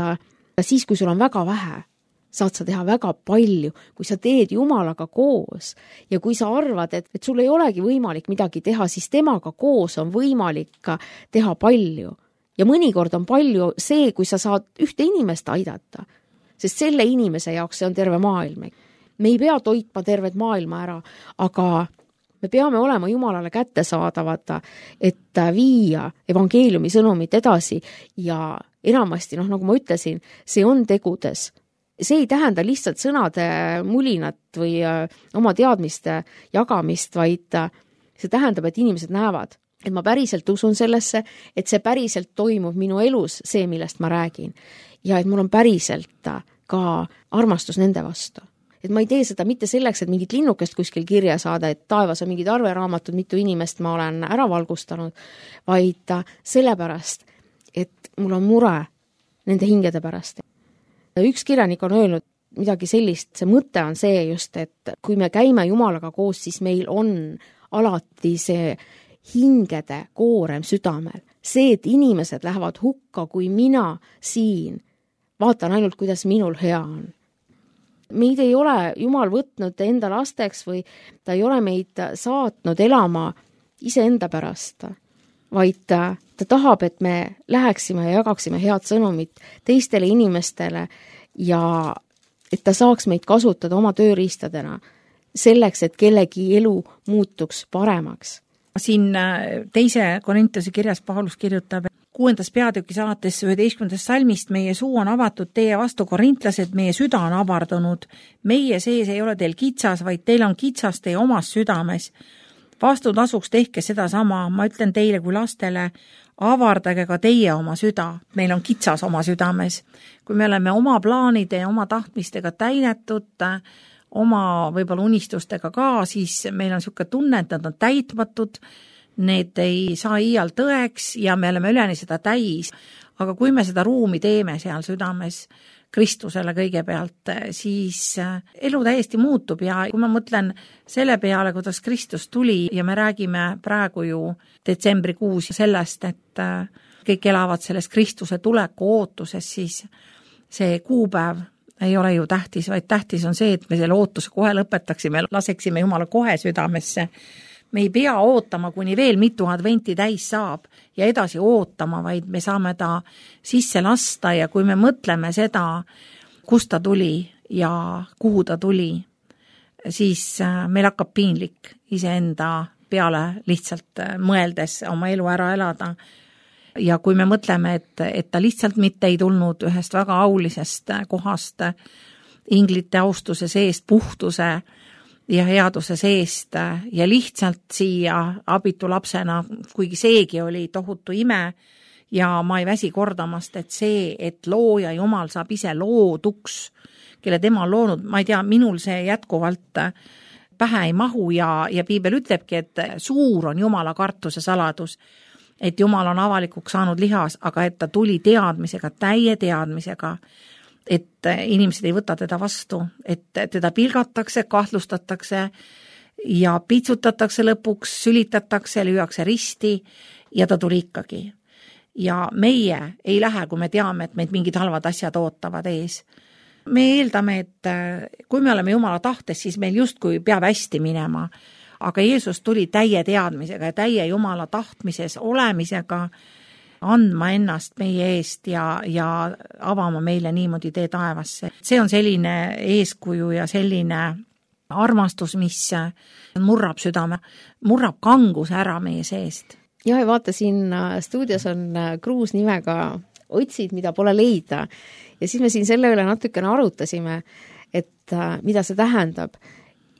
siis, kui sul on väga vähe, saad sa teha väga palju, kui sa teed Jumalaga koos ja kui sa arvad, et, et sul ei olegi võimalik midagi teha, siis temaga koos on võimalik teha palju. Ja mõnikord on palju see, kui sa saad ühte inimest aidata, sest selle inimese jaoks see on terve maailm. Me ei pea toitma tervet maailma ära, aga me peame olema Jumalale kättesaadavad, et viia evangeeliumi sõnumit edasi ja enamasti, noh, nagu ma ütlesin, see on tegudes. See ei tähenda lihtsalt sõnade mulinat või oma teadmiste jagamist, vaid see tähendab, et inimesed näevad, et ma päriselt usun sellesse, et see päriselt toimub minu elus, see, millest ma räägin. Ja et mul on päriselt ka armastus nende vastu. Et ma ei tee seda mitte selleks, et mingit linnukest kuskil kirja saada, et taevas on mingid arveraamatud, mitu inimest ma olen ära valgustanud, vaid sellepärast, et mul on mure nende hingede pärast. Üks kirjanik on öelnud midagi sellist, see mõte on see just, et kui me käime Jumalaga koos, siis meil on alati see hingede koorem südamel. See, et inimesed lähevad hukka, kui mina siin vaatan ainult, kuidas minul hea on. Meid ei ole Jumal võtnud enda lasteks või ta ei ole meid saatnud elama iseenda pärast, vaid ta, ta tahab, et me läheksime ja jagaksime head sõnumit teistele inimestele ja et ta saaks meid kasutada oma tööriistadena selleks, et kellegi elu muutuks paremaks. Siin teise Korintuse kirjas Paulus kirjutab, kuuendas peatükis alates üheteistkümnendast salmist, meie suu on avatud teie vastu, korintlased, meie süda on avardunud. Meie sees ei ole teil kitsas, vaid teil on kitsas teie omas südames. Vastutasuks tehke seda sama, ma ütlen teile kui lastele, avardage ka teie oma süda, meil on kitsas oma südames. Kui me oleme oma plaanide ja oma tahtmistega täinetud, oma võib-olla unistustega ka, siis meil on niisugune tunne, et nad on täitmatud, need ei saa iial tõeks ja me oleme üleni seda täis. Aga kui me seda ruumi teeme seal südames Kristusele kõigepealt, siis elu täiesti muutub ja kui ma mõtlen selle peale, kuidas Kristus tuli ja me räägime praegu ju detsembrikuus sellest, et kõik elavad selles Kristuse tuleku ootuses, siis see kuupäev ei ole ju tähtis, vaid tähtis on see, et me selle ootuse kohe lõpetaksime, laseksime Jumala kohe südamesse. Me ei pea ootama, kuni veel mitu adventi täis saab ja edasi ootama, vaid me saame ta sisse lasta ja kui me mõtleme seda, kust ta tuli ja kuhu ta tuli, siis meil hakkab piinlik iseenda peale lihtsalt mõeldes oma elu ära elada. Ja kui me mõtleme, et, et ta lihtsalt mitte ei tulnud ühest väga aulisest kohast inglite austuse seest, puhtuse ja headuse seest ja lihtsalt siia abitu lapsena, kuigi seegi oli tohutu ime ja ma ei väsi kordamast, et see, et looja Jumal saab ise looduks, kelle tema on loonud, ma ei tea, minul see jätkuvalt pähe ei mahu ja, ja piibel ütlebki, et suur on Jumala kartuse saladus, et Jumal on avalikuks saanud lihas, aga et ta tuli teadmisega, täie teadmisega, et inimesed ei võta teda vastu, et teda pilgatakse, kahtlustatakse ja pitsutatakse lõpuks, sülitatakse, lüüakse risti ja ta tuli ikkagi. Ja meie ei lähe, kui me teame, et meid mingid halvad asjad ootavad ees. Me eeldame, et kui me oleme Jumala tahtes, siis meil justkui peab hästi minema, aga Jeesus tuli täie teadmisega ja täie Jumala tahtmises olemisega andma ennast meie eest ja, ja avama meile niimoodi tee taevasse. See on selline eeskuju ja selline armastus, mis murrab südame, murrab kanguse ära meie seest. Ja, ja vaata, siin stuudios on kruus nimega Otsid, mida pole leida. Ja siis me siin selle üle natukene arutasime, et mida see tähendab.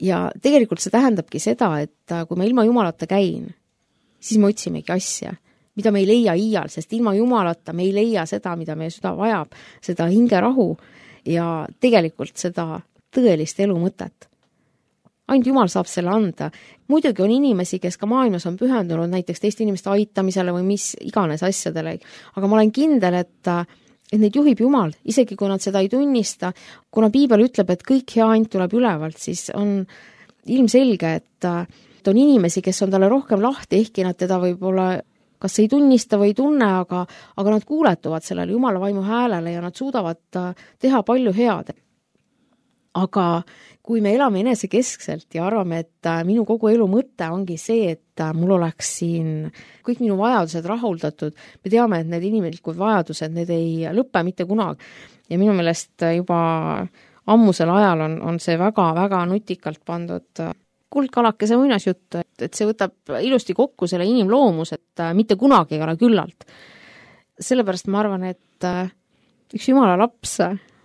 Ja tegelikult see tähendabki seda, et kui ma ilma Jumalata käin, siis me otsimegi asja, mida me ei leia iial, sest ilma Jumalata me ei leia seda, mida meie süda vajab, seda hingerahu ja tegelikult seda tõelist elu mõtet. Ainult Jumal saab selle anda. Muidugi on inimesi, kes ka maailmas on pühendunud näiteks teiste inimeste aitamisele või mis iganes asjadele, aga ma olen kindel, et, et neid juhib Jumal, isegi kui nad seda ei tunnista. Kuna piibel ütleb, et kõik hea ainult tuleb ülevalt, siis on ilmselge, et, et on inimesi, kes on talle rohkem lahti, ehkki nad teda võib-olla kas ei tunnista või ei tunne, aga, aga nad kuuletuvad sellele Jumala vaimu häälele ja nad suudavad teha palju head. Aga kui me elame enesekeskselt ja arvame, et minu kogu elu mõte ongi see, et mul oleks siin kõik minu vajadused rahuldatud, me teame, et need inimlikud vajadused, need ei lõppe mitte kunagi. Ja minu meelest juba ammusel ajal on, on see väga-väga nutikalt pandud kuldkalakese muinasjutt, et, et see võtab ilusti kokku selle inimloomus, et mitte kunagi ei ole küllalt. Sellepärast ma arvan, et üks Jumala laps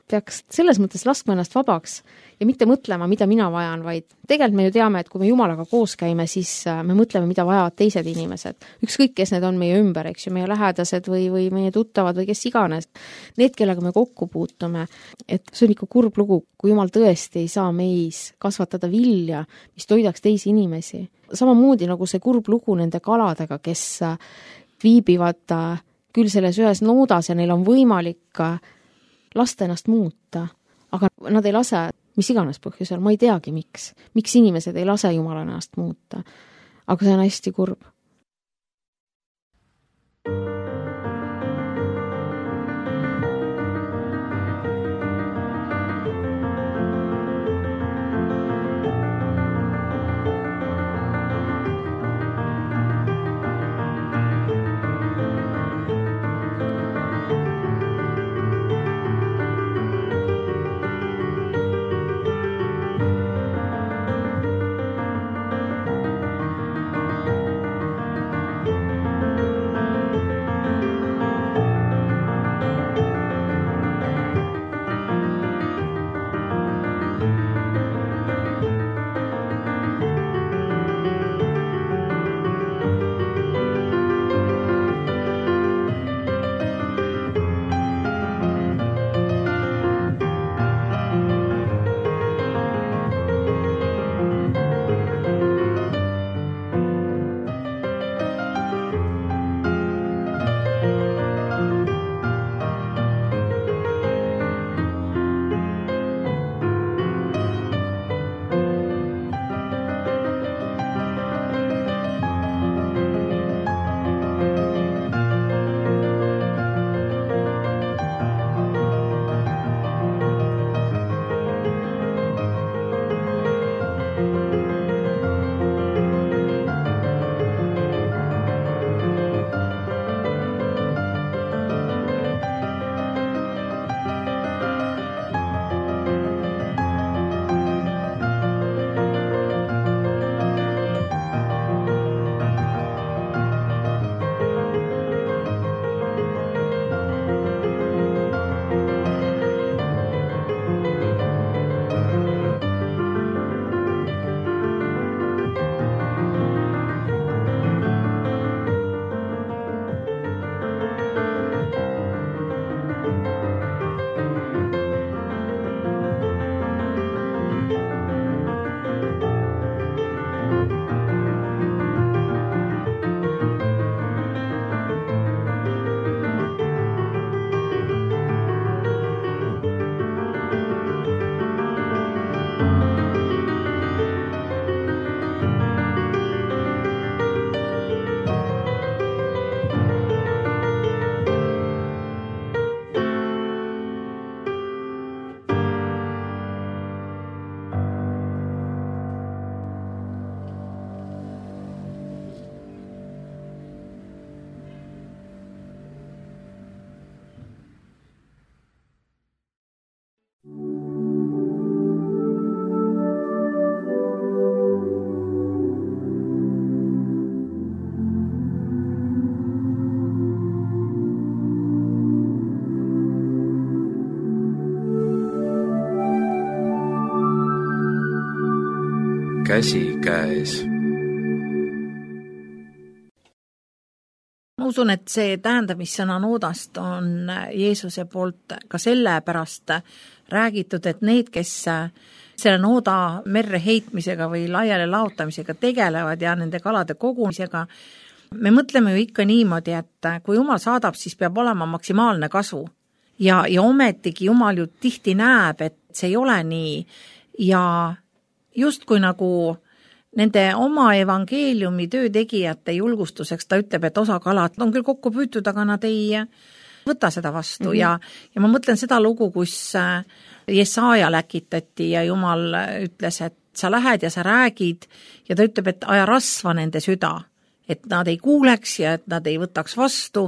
peaks selles mõttes laskma ennast vabaks ja mitte mõtlema, mida mina vajan, vaid tegelikult me ju teame, et kui me Jumalaga koos käime, siis me mõtleme, mida vajavad teised inimesed. Ükskõik, kes need on meie ümber, eks ju, meie lähedased või, või meie tuttavad või kes iganes. Need, kellega me kokku puutume, et see on ikka kurb lugu, kui Jumal tõesti ei saa meis kasvatada vilja, mis toidaks teisi inimesi. Samamoodi nagu see kurb lugu nende kaladega, kes viibivad küll selles ühes noodas ja neil on võimalik lasta ennast muuta, aga nad ei lase mis iganes põhjusel, ma ei teagi miks. Miks inimesed ei lase Jumala ennast muuta. Aga see on hästi kurb. käsi käes. Ma usun, et see tähendamissõna noodast on Jeesuse poolt ka sellepärast räägitud, et need, kes selle nooda merre heitmisega või laiale laotamisega tegelevad ja nende kalade kogumisega, me mõtleme ju ikka niimoodi, et kui Jumal saadab, siis peab olema maksimaalne kasu. Ja, ja ometigi Jumal ju tihti näeb, et see ei ole nii. Ja just kui nagu nende oma evangeeliumi töötegijate julgustuseks ta ütleb, et osa kalad on küll kokku püütud, aga nad ei võta seda vastu. Mm-hmm. ja, ja ma mõtlen seda lugu, kus Jesaja läkitati ja Jumal ütles, et sa lähed ja sa räägid ja ta ütleb, et aja rasva nende süda, et nad ei kuuleks ja et nad ei võtaks vastu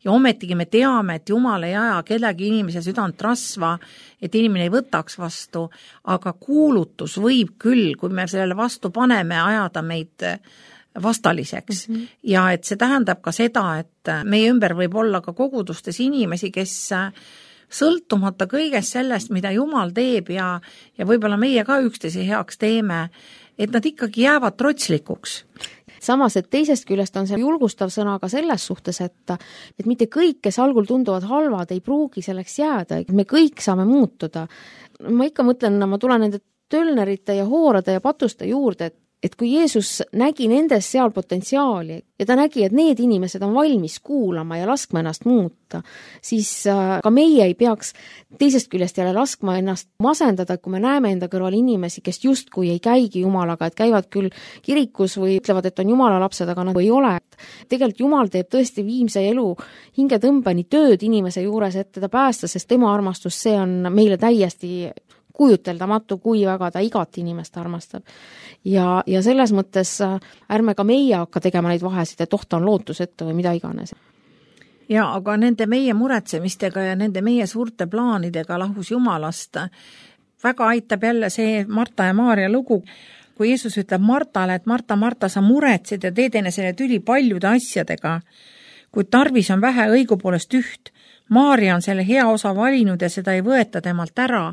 ja ometigi me teame, et Jumal ei aja kellegi inimese südant rasva, et inimene ei võtaks vastu, aga kuulutus võib küll, kui me sellele vastu paneme, ajada meid vastaliseks. Mm-hmm. Ja et see tähendab ka seda, et meie ümber võib olla ka kogudustes inimesi, kes sõltumata kõigest sellest, mida Jumal teeb ja, ja võib-olla meie ka üksteise heaks teeme, et nad ikkagi jäävad trotslikuks. Samas, et teisest küljest on see julgustav sõna ka selles suhtes, et, et mitte kõik, kes algul tunduvad halvad, ei pruugi selleks jääda. Me kõik saame muutuda. Ma ikka mõtlen, ma tulen nende tölnerite ja hoorade ja patuste juurde, et et kui Jeesus nägi nendes seal potentsiaali ja ta nägi, et need inimesed on valmis kuulama ja laskma ennast muuta, siis ka meie ei peaks teisest küljest jälle laskma ennast masendada, kui me näeme enda kõrval inimesi, kes justkui ei käigi Jumalaga, et käivad küll kirikus või ütlevad, et on Jumala lapsed, aga nagu ei ole. Tegelikult Jumal teeb tõesti viimse elu hingetõmbeni tööd inimese juures, et teda päästa, sest tema armastus, see on meile täiesti kujuteldamatu, kui väga ta igat inimest armastab. Ja, ja selles mõttes ärme ka meie hakka tegema neid vahesid, et ohta on lootusetu või mida iganes. Ja, aga nende meie muretsemistega ja nende meie suurte plaanidega lahus Jumalast väga aitab jälle see Marta ja Maaria lugu, kui Jeesus ütleb Martale, et Marta, Marta, sa muretsid ja teed enesele tüli paljude asjadega, kui tarvis on vähe õigupoolest üht. Maaria on selle hea osa valinud ja seda ei võeta temalt ära.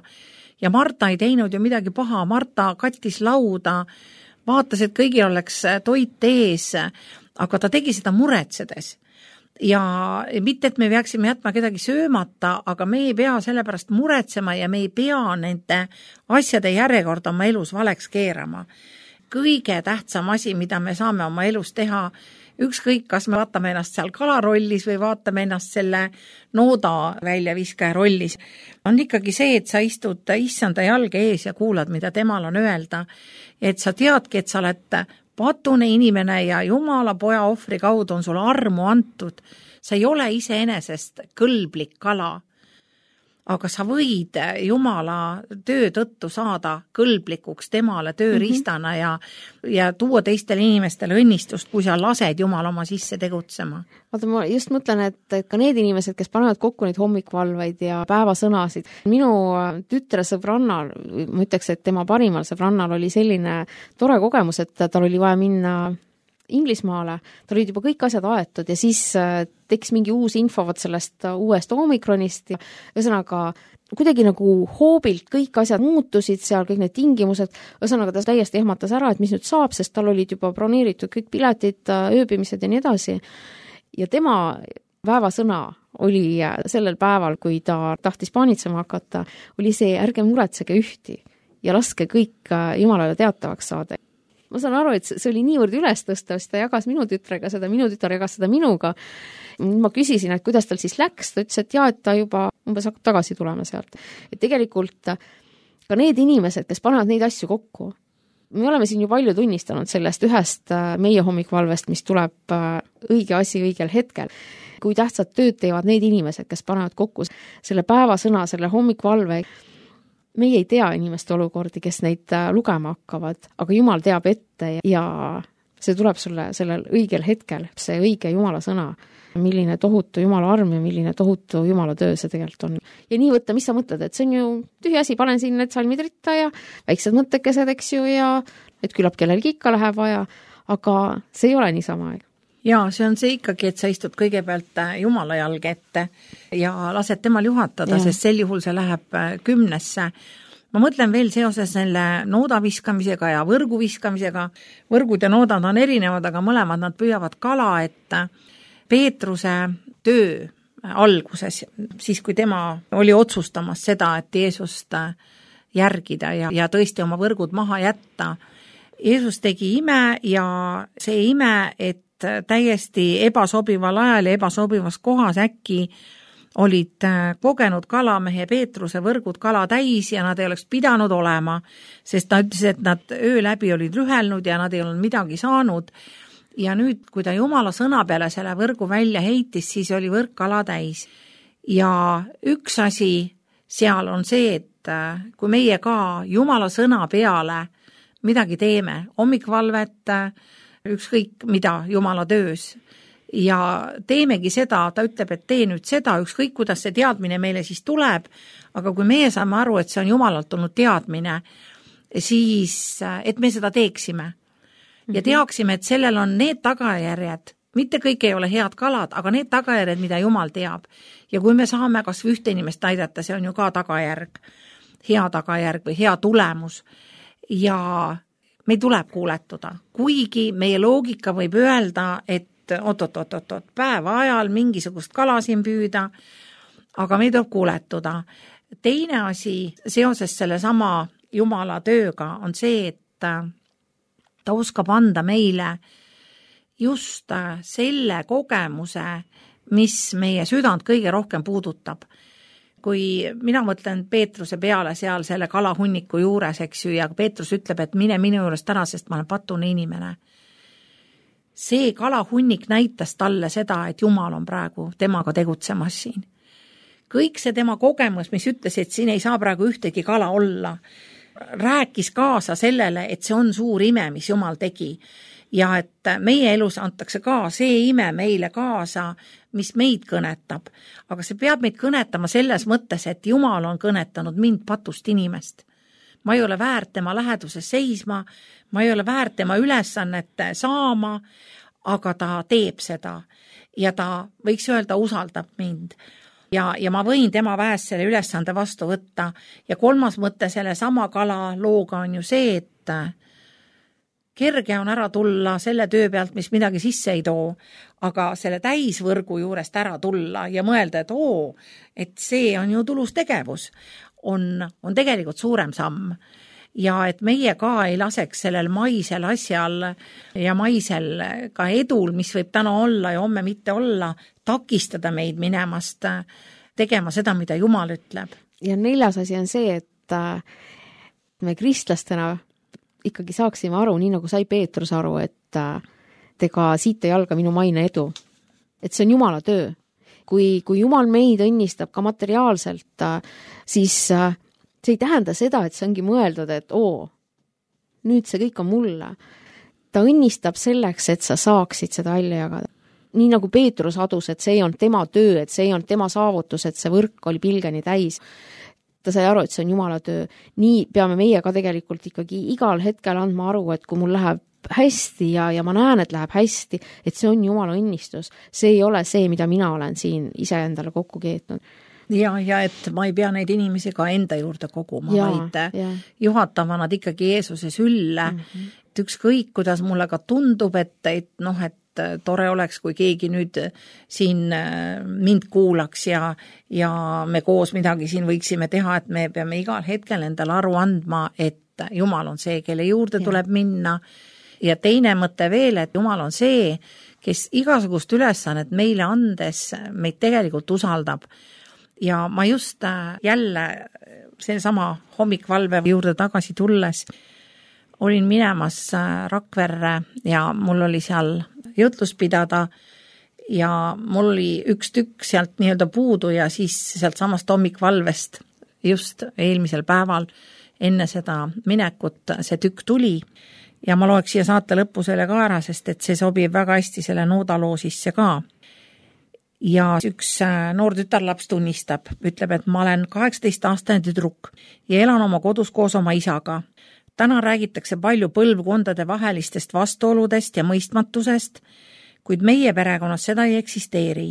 Ja Marta ei teinud ju midagi paha, Marta kattis lauda, vaatas, et kõigil oleks toit ees, aga ta tegi seda muretsedes. Ja mitte, et me peaksime jätma kedagi söömata, aga me ei pea sellepärast muretsema ja me ei pea nende asjade järjekorda oma elus valeks keerama. Kõige tähtsam asi, mida me saame oma elus teha, ükskõik, kas me vaatame ennast seal kalarollis või vaatame ennast selle nooda väljaviskaja rollis, on ikkagi see, et sa istud issanda jalge ees ja kuulad, mida temal on öelda. Et sa teadki, et sa oled patune inimene ja Jumala poja ohvri kaudu on sulle armu antud. Sa ei ole iseenesest kõlblik kala. Aga sa võid Jumala töö tõttu saada kõlblikuks temale tööriistana ja, ja tuua teistele inimestele õnnistust, kui sa lased Jumal oma sisse tegutsema. Vaata, ma just mõtlen, et, et ka need inimesed, kes panevad kokku neid hommikvalveid ja päevasõnasid. Minu tütre sõbrannal, ma ütleks, et tema parimal sõbrannal oli selline tore kogemus, et tal oli vaja minna Inglismaale, tal olid juba kõik asjad aetud ja siis tekkis mingi uus info võt sellest uuest omikronist ja ühesõnaga kuidagi nagu hoobilt kõik asjad muutusid seal, kõik need tingimused, ühesõnaga ta täiesti ehmatas ära, et mis nüüd saab, sest tal olid juba broneeritud kõik piletid, ööbimised ja nii edasi. Ja tema päevasõna oli sellel päeval, kui ta tahtis paanitsema hakata, oli see, ärge muretsege ühti ja laske kõik Jumalale teatavaks saada. Ma saan aru, et see oli niivõrd üles tõsta, sest ta jagas minu tütrega seda, minu tütar jagas seda minuga. Ma küsisin, et kuidas tal siis läks, ta ütles, et jah, et ta juba umbes hakkab tagasi tulema sealt. Et tegelikult ka need inimesed, kes panevad neid asju kokku, me oleme siin ju palju tunnistanud sellest ühest meie hommikvalvest, mis tuleb õige asi õigel hetkel. Kui tähtsad tööd teevad need inimesed, kes panevad kokku selle päevasõna, selle hommikvalve, meie ei tea inimeste olukordi, kes neid lugema hakkavad, aga Jumal teab ette ja see tuleb sulle sellel õigel hetkel, see õige Jumala sõna, milline tohutu Jumala arm ja milline tohutu Jumala töö see tegelikult on. Ja nii võtta, mis sa mõtled, et see on ju tühi asi, panen siin need salmid ritta ja väiksed mõttekesed, eks ju, ja et küllap kellelgi ikka läheb vaja, aga see ei ole niisama. Ja see on see ikkagi, et sa istud kõigepealt Jumala jalge ette ja lased temal juhatada, ja. Sest sel juhul see läheb kümnesse. ma mõtlen veel seoses selle nooda viskamisega ja võrgu viskamisega. Võrgud ja noodad on erinevad, aga mõlemad nad püüavad kala, et Peetruse töö alguses, siis kui tema oli otsustamas seda, et Jeesust järgida ja, ja tõesti oma võrgud maha jätta. Jeesus tegi ime ja see ime, et täiesti ebasobival ajal ja ebasobivas kohas äkki olid kogenud kalamehe Peetruse võrgud kala täis ja nad ei oleks pidanud olema, sest ta ütles, et nad öö läbi olid rühelnud ja nad ei olnud midagi saanud. Ja nüüd, kui ta Jumala sõna peale selle võrgu välja heitis, siis oli võrk kala täis. Ja üks asi seal on see, et kui meie ka Jumala sõna peale midagi teeme, hommikvalvet, ükskõik mida Jumala töös, ja teemegi seda, ta ütleb, et tee nüüd seda, ükskõik kuidas see teadmine meile siis tuleb, aga kui meie saame aru, et see on Jumalalt tulnud teadmine, siis et me seda teeksime. Ja teaksime, et sellel on need tagajärjed, mitte kõik ei ole head kalad, aga need tagajärjed, mida Jumal teab. Ja kui me saame kas või ühte inimest aidata, see on ju ka tagajärg, hea tagajärg või hea tulemus. Ja meil tuleb kuuletuda, kuigi meie loogika võib öelda, et oot-oot-oot-oot, päeva ajal mingisugust kala siin püüda, aga meil tuleb kuuletuda. Teine asi seoses selle sama Jumala tööga on see, et ta oskab anda meile just selle kogemuse, mis meie südant kõige rohkem puudutab. Kui mina mõtlen Peetruse peale seal selle kalahunniku juures, eks ju, ja Peetrus ütleb, et mine minu juurest ära, sest ma olen patune inimene. See kalahunnik näitas talle seda, et Jumal on praegu temaga tegutsemas siin. Kõik see tema kogemus, mis ütles, et siin ei saa praegu ühtegi kala olla, rääkis kaasa sellele, et see on suur ime, mis Jumal tegi. Ja et meie elus antakse ka see ime meile kaasa, mis meid kõnetab. Aga see peab meid kõnetama selles mõttes, et Jumal on kõnetanud mind patust inimest. Ma ei ole väärt tema läheduses seisma, ma ei ole väärt tema ülesannet saama, aga ta teeb seda ja ta võiks öelda, usaldab mind. Ja, ja ma võin tema väest selle ülesande vastu võtta. Ja kolmas mõte selle sama kala looga on ju see, et kerge on ära tulla selle töö pealt, mis midagi sisse ei too, aga selle täisvõrgu juurest ära tulla ja mõelda, et oo, et see on ju tulus tegevus, on, on tegelikult suurem samm. Ja et meie ka ei laseks sellel maisel asjal ja maisel ka edul, mis võib täna olla ja homme mitte olla, takistada meid minemast tegema seda, mida Jumal ütleb. Ja neljas asi on see, et me kristlastena ikkagi saaksime aru, nii nagu sai Peetrus aru, et tega siit ei alga minu maine edu. Et see on Jumala töö. Kui, kui Jumal meid õnnistab ka materiaalselt, siis see ei tähenda seda, et see ongi mõeldud, et oo, nüüd see kõik on mulle. Ta õnnistab selleks, et sa saaksid seda välja jagada. Nii nagu Peetrus adus, et see on tema töö, et see on tema saavutus, et see võrk oli pilgeni täis. Ta sai aru, et see on Jumala töö. Nii peame meie ka tegelikult ikkagi igal hetkel andma aru, et kui mul läheb hästi ja, ja ma näen, et läheb hästi, et see on Jumala õnnistus. See ei ole see, mida mina olen siin ise endale kokku keetnud. Ja, ja et ma ei pea neid inimesi ka enda juurde koguma, ja, vaid ja. Juhatama nad ikkagi Jeesuse sülle. Mm-hmm. Et ükskõik, kuidas mulle ka tundub, et, et noh, et tore oleks, kui keegi nüüd siin mind kuulaks ja, ja me koos midagi siin võiksime teha, et me peame igal hetkel endale aru andma, et Jumal on see, kelle juurde ja. Tuleb minna. Ja teine mõte veel, et Jumal on see, kes igasugust ülesannet meile andes meid tegelikult usaldab. Ja ma just jälle see sama hommikvalve juurde tagasi tulles olin minemas Rakverre ja mul oli seal jutlus pidada ja mul oli üks tükk sealt nii-öelda puudu ja siis sealt samast hommikvalvest just eelmisel päeval enne seda minekut see tükk tuli ja ma loeks siia saate lõppu selle ka ära, sest et see sobib väga hästi selle noodaloo sisse ka. Ja üks noor tütarlaps tunnistab, ütleb, et ma olen kaheksateist aastane tüdruk ja elan oma kodus koos oma isaga. Täna räägitakse palju põlvkondade vahelistest vastuoludest ja mõistmatusest, kuid meie perekonnas seda ei eksisteeri.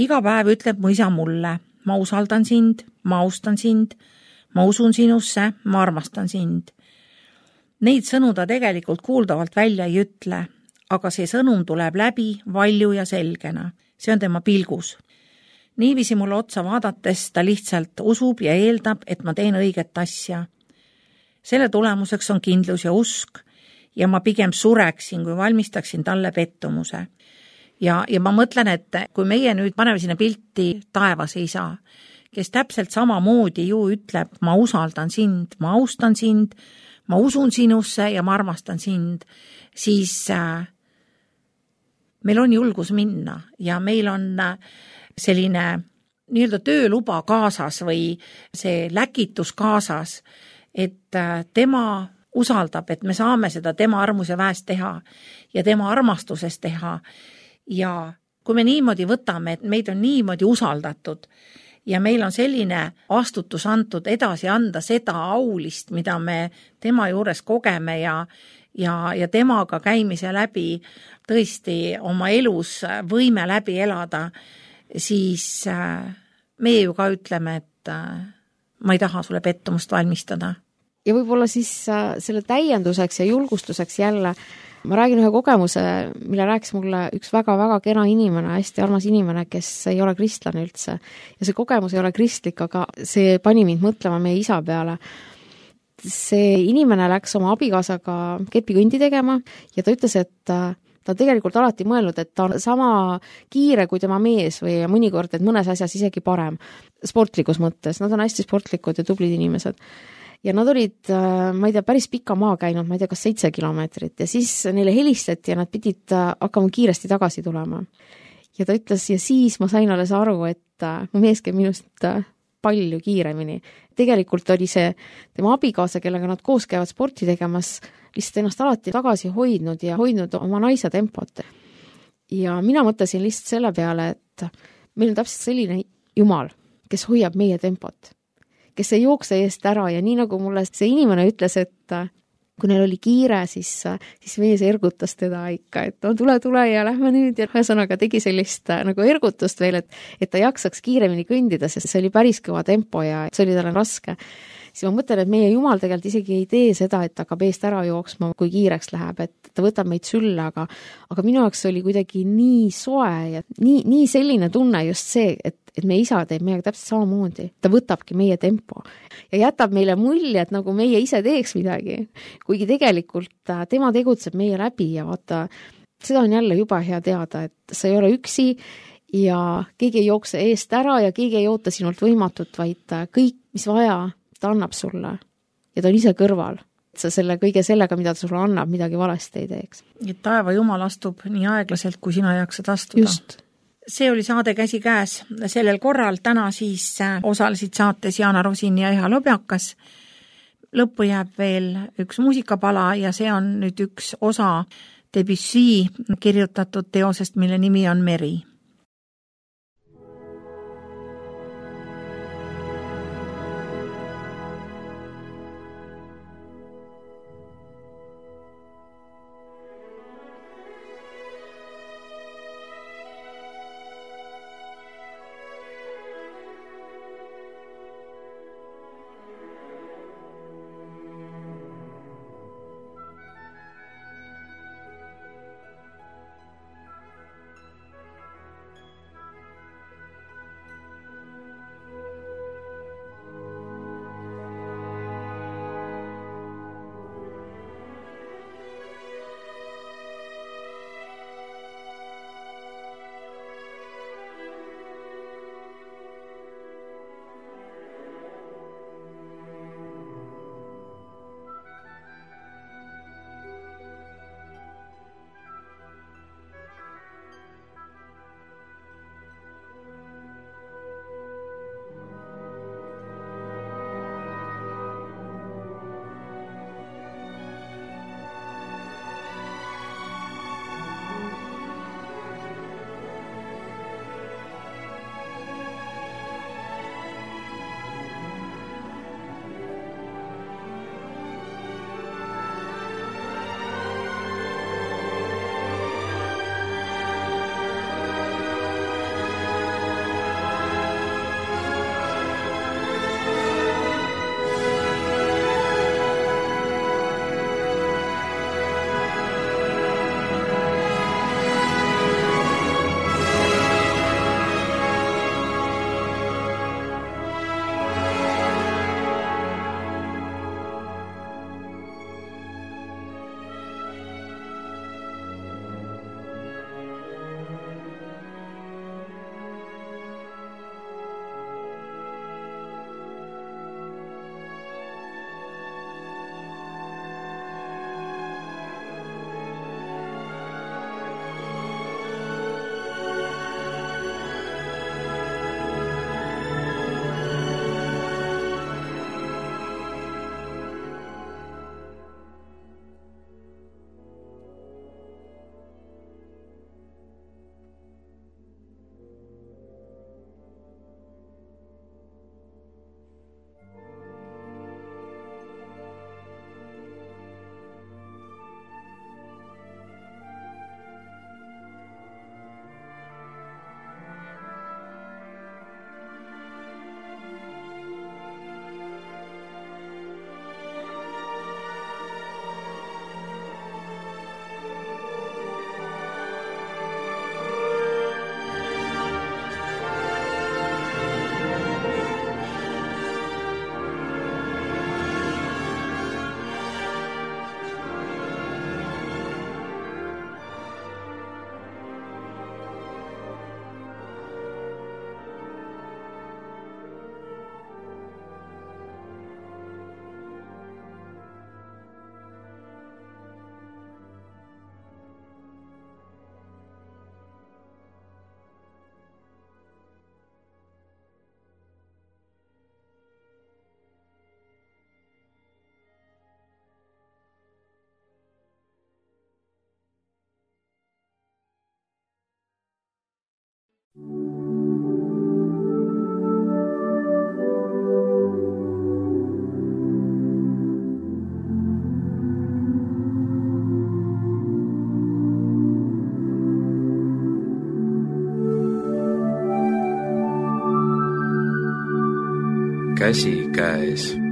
Iga päev ütleb mu isa mulle, ma usaldan sind, ma austan sind, ma usun sinusse, ma armastan sind. Neid sõnu ta tegelikult kuuldavalt välja ei ütle, aga see sõnum tuleb läbi valju ja selgena. See on tema pilgus. Niiviisi mulle otsa vaadates ta lihtsalt usub ja eeldab, et ma teen õiget asja. Selle tulemuseks on kindlus ja usk ja ma pigem sureksin, kui valmistaksin talle pettumuse. Ja, ja ma mõtlen, et kui meie nüüd paneme sinna pilti taevase isa, kes täpselt sama moodi ju ütleb, ma usaldan sind, ma austan sind, ma usun sinusse ja ma armastan sind, siis äh, meil on julgus minna ja meil on äh, selline nii-öelda tööluba kaasas või see läkitus kaasas, et äh, tema usaldab, et me saame seda tema armuse väest teha ja tema armastuses teha. Ja kui me niimoodi võtame, et meid on niimoodi usaldatud ja meil on selline vastutus antud edasi anda seda aulist, mida me tema juures kogeme ja, ja, ja temaga käimise läbi tõesti oma elus võime läbi elada, siis meie ju ka ütleme, et ma ei taha sulle pettumust valmistada. Ja võib-olla siis selle täienduseks ja julgustuseks jälle ma räägin ühe kogemuse, mille rääkis mulle üks väga-väga kena inimene, hästi armas inimene, kes ei ole kristlane üldse. Ja see kogemus ei ole kristlik, aga see pani mind mõtlema meie isa peale. See inimene läks oma abikaasaga kepikõndi tegema ja ta ütles, et ta tegelikult alati mõelnud, et ta on sama kiire kui tema mees või mõnikord, et mõnes asjas isegi parem sportlikus mõttes. Nad on hästi sportlikud ja tublid inimesed. Ja nad olid, ma ei tea, päris pika maa käinud, ma ei tea, kas seitse kilomeetrit ja siis neile helistati ja nad pidid hakkama kiiresti tagasi tulema. Ja ta ütles, ja siis ma sain alles aru, et mu mees käib minust palju kiiremini. Tegelikult oli see tema abikaasa, kellega nad koos käivad sporti tegemas, lihtsalt ennast alati tagasi hoidnud ja hoidnud oma naise tempot. Ja mina mõtlesin lihtsalt selle peale, et meil on täpselt selline Jumal, kes hoiab meie tempot, kes ei jookse eest ära ja nii nagu mulle see inimene ütles, et kui neil oli kiire, siis, siis mees ergutas teda ikka, et no tule, tule ja lähme nüüd ja ühesõnaga tegi sellist nagu ergutust veel, et, et ta jaksaks kiiremini kõndida, sest see oli päris kõva tempo ja see oli talle raske. Siis ma mõtlen, et meie Jumal tegelikult isegi ei tee seda, et hakkab eest ära jooksma, kui kiireks läheb, et ta võtab meid sülle, aga, aga minu jaoks oli kuidagi nii soe ja nii, nii selline tunne just see, et et meie isa teeb meiega täpselt samamoodi. Ta võtabki meie tempo ja jätab meile mulje, et nagu meie ise teeks midagi. Kuigi tegelikult tema tegutseb meie läbi ja vaata, seda on jälle juba hea teada, et sa ei ole üksi ja keegi ei jookse eest ära ja keegi ei oota sinult võimatut, vaid kõik, mis vaja, ta annab sulle. Ja ta on ise kõrval. Sa selle kõige sellega, mida ta sulle annab, midagi valesti ei teeks. Et taeva Jumal astub nii aeglaselt, kui sina jaksad astuda. Just. See oli saade Käsi käes sellel korral. Täna siis osalesid saates Jaana Rosin ja Eha Lobjakas. Lõppu jääb veel üks muusikapala ja see on nüüd üks osa Debussy kirjutatud teosest, mille nimi on Meri. käsi käes.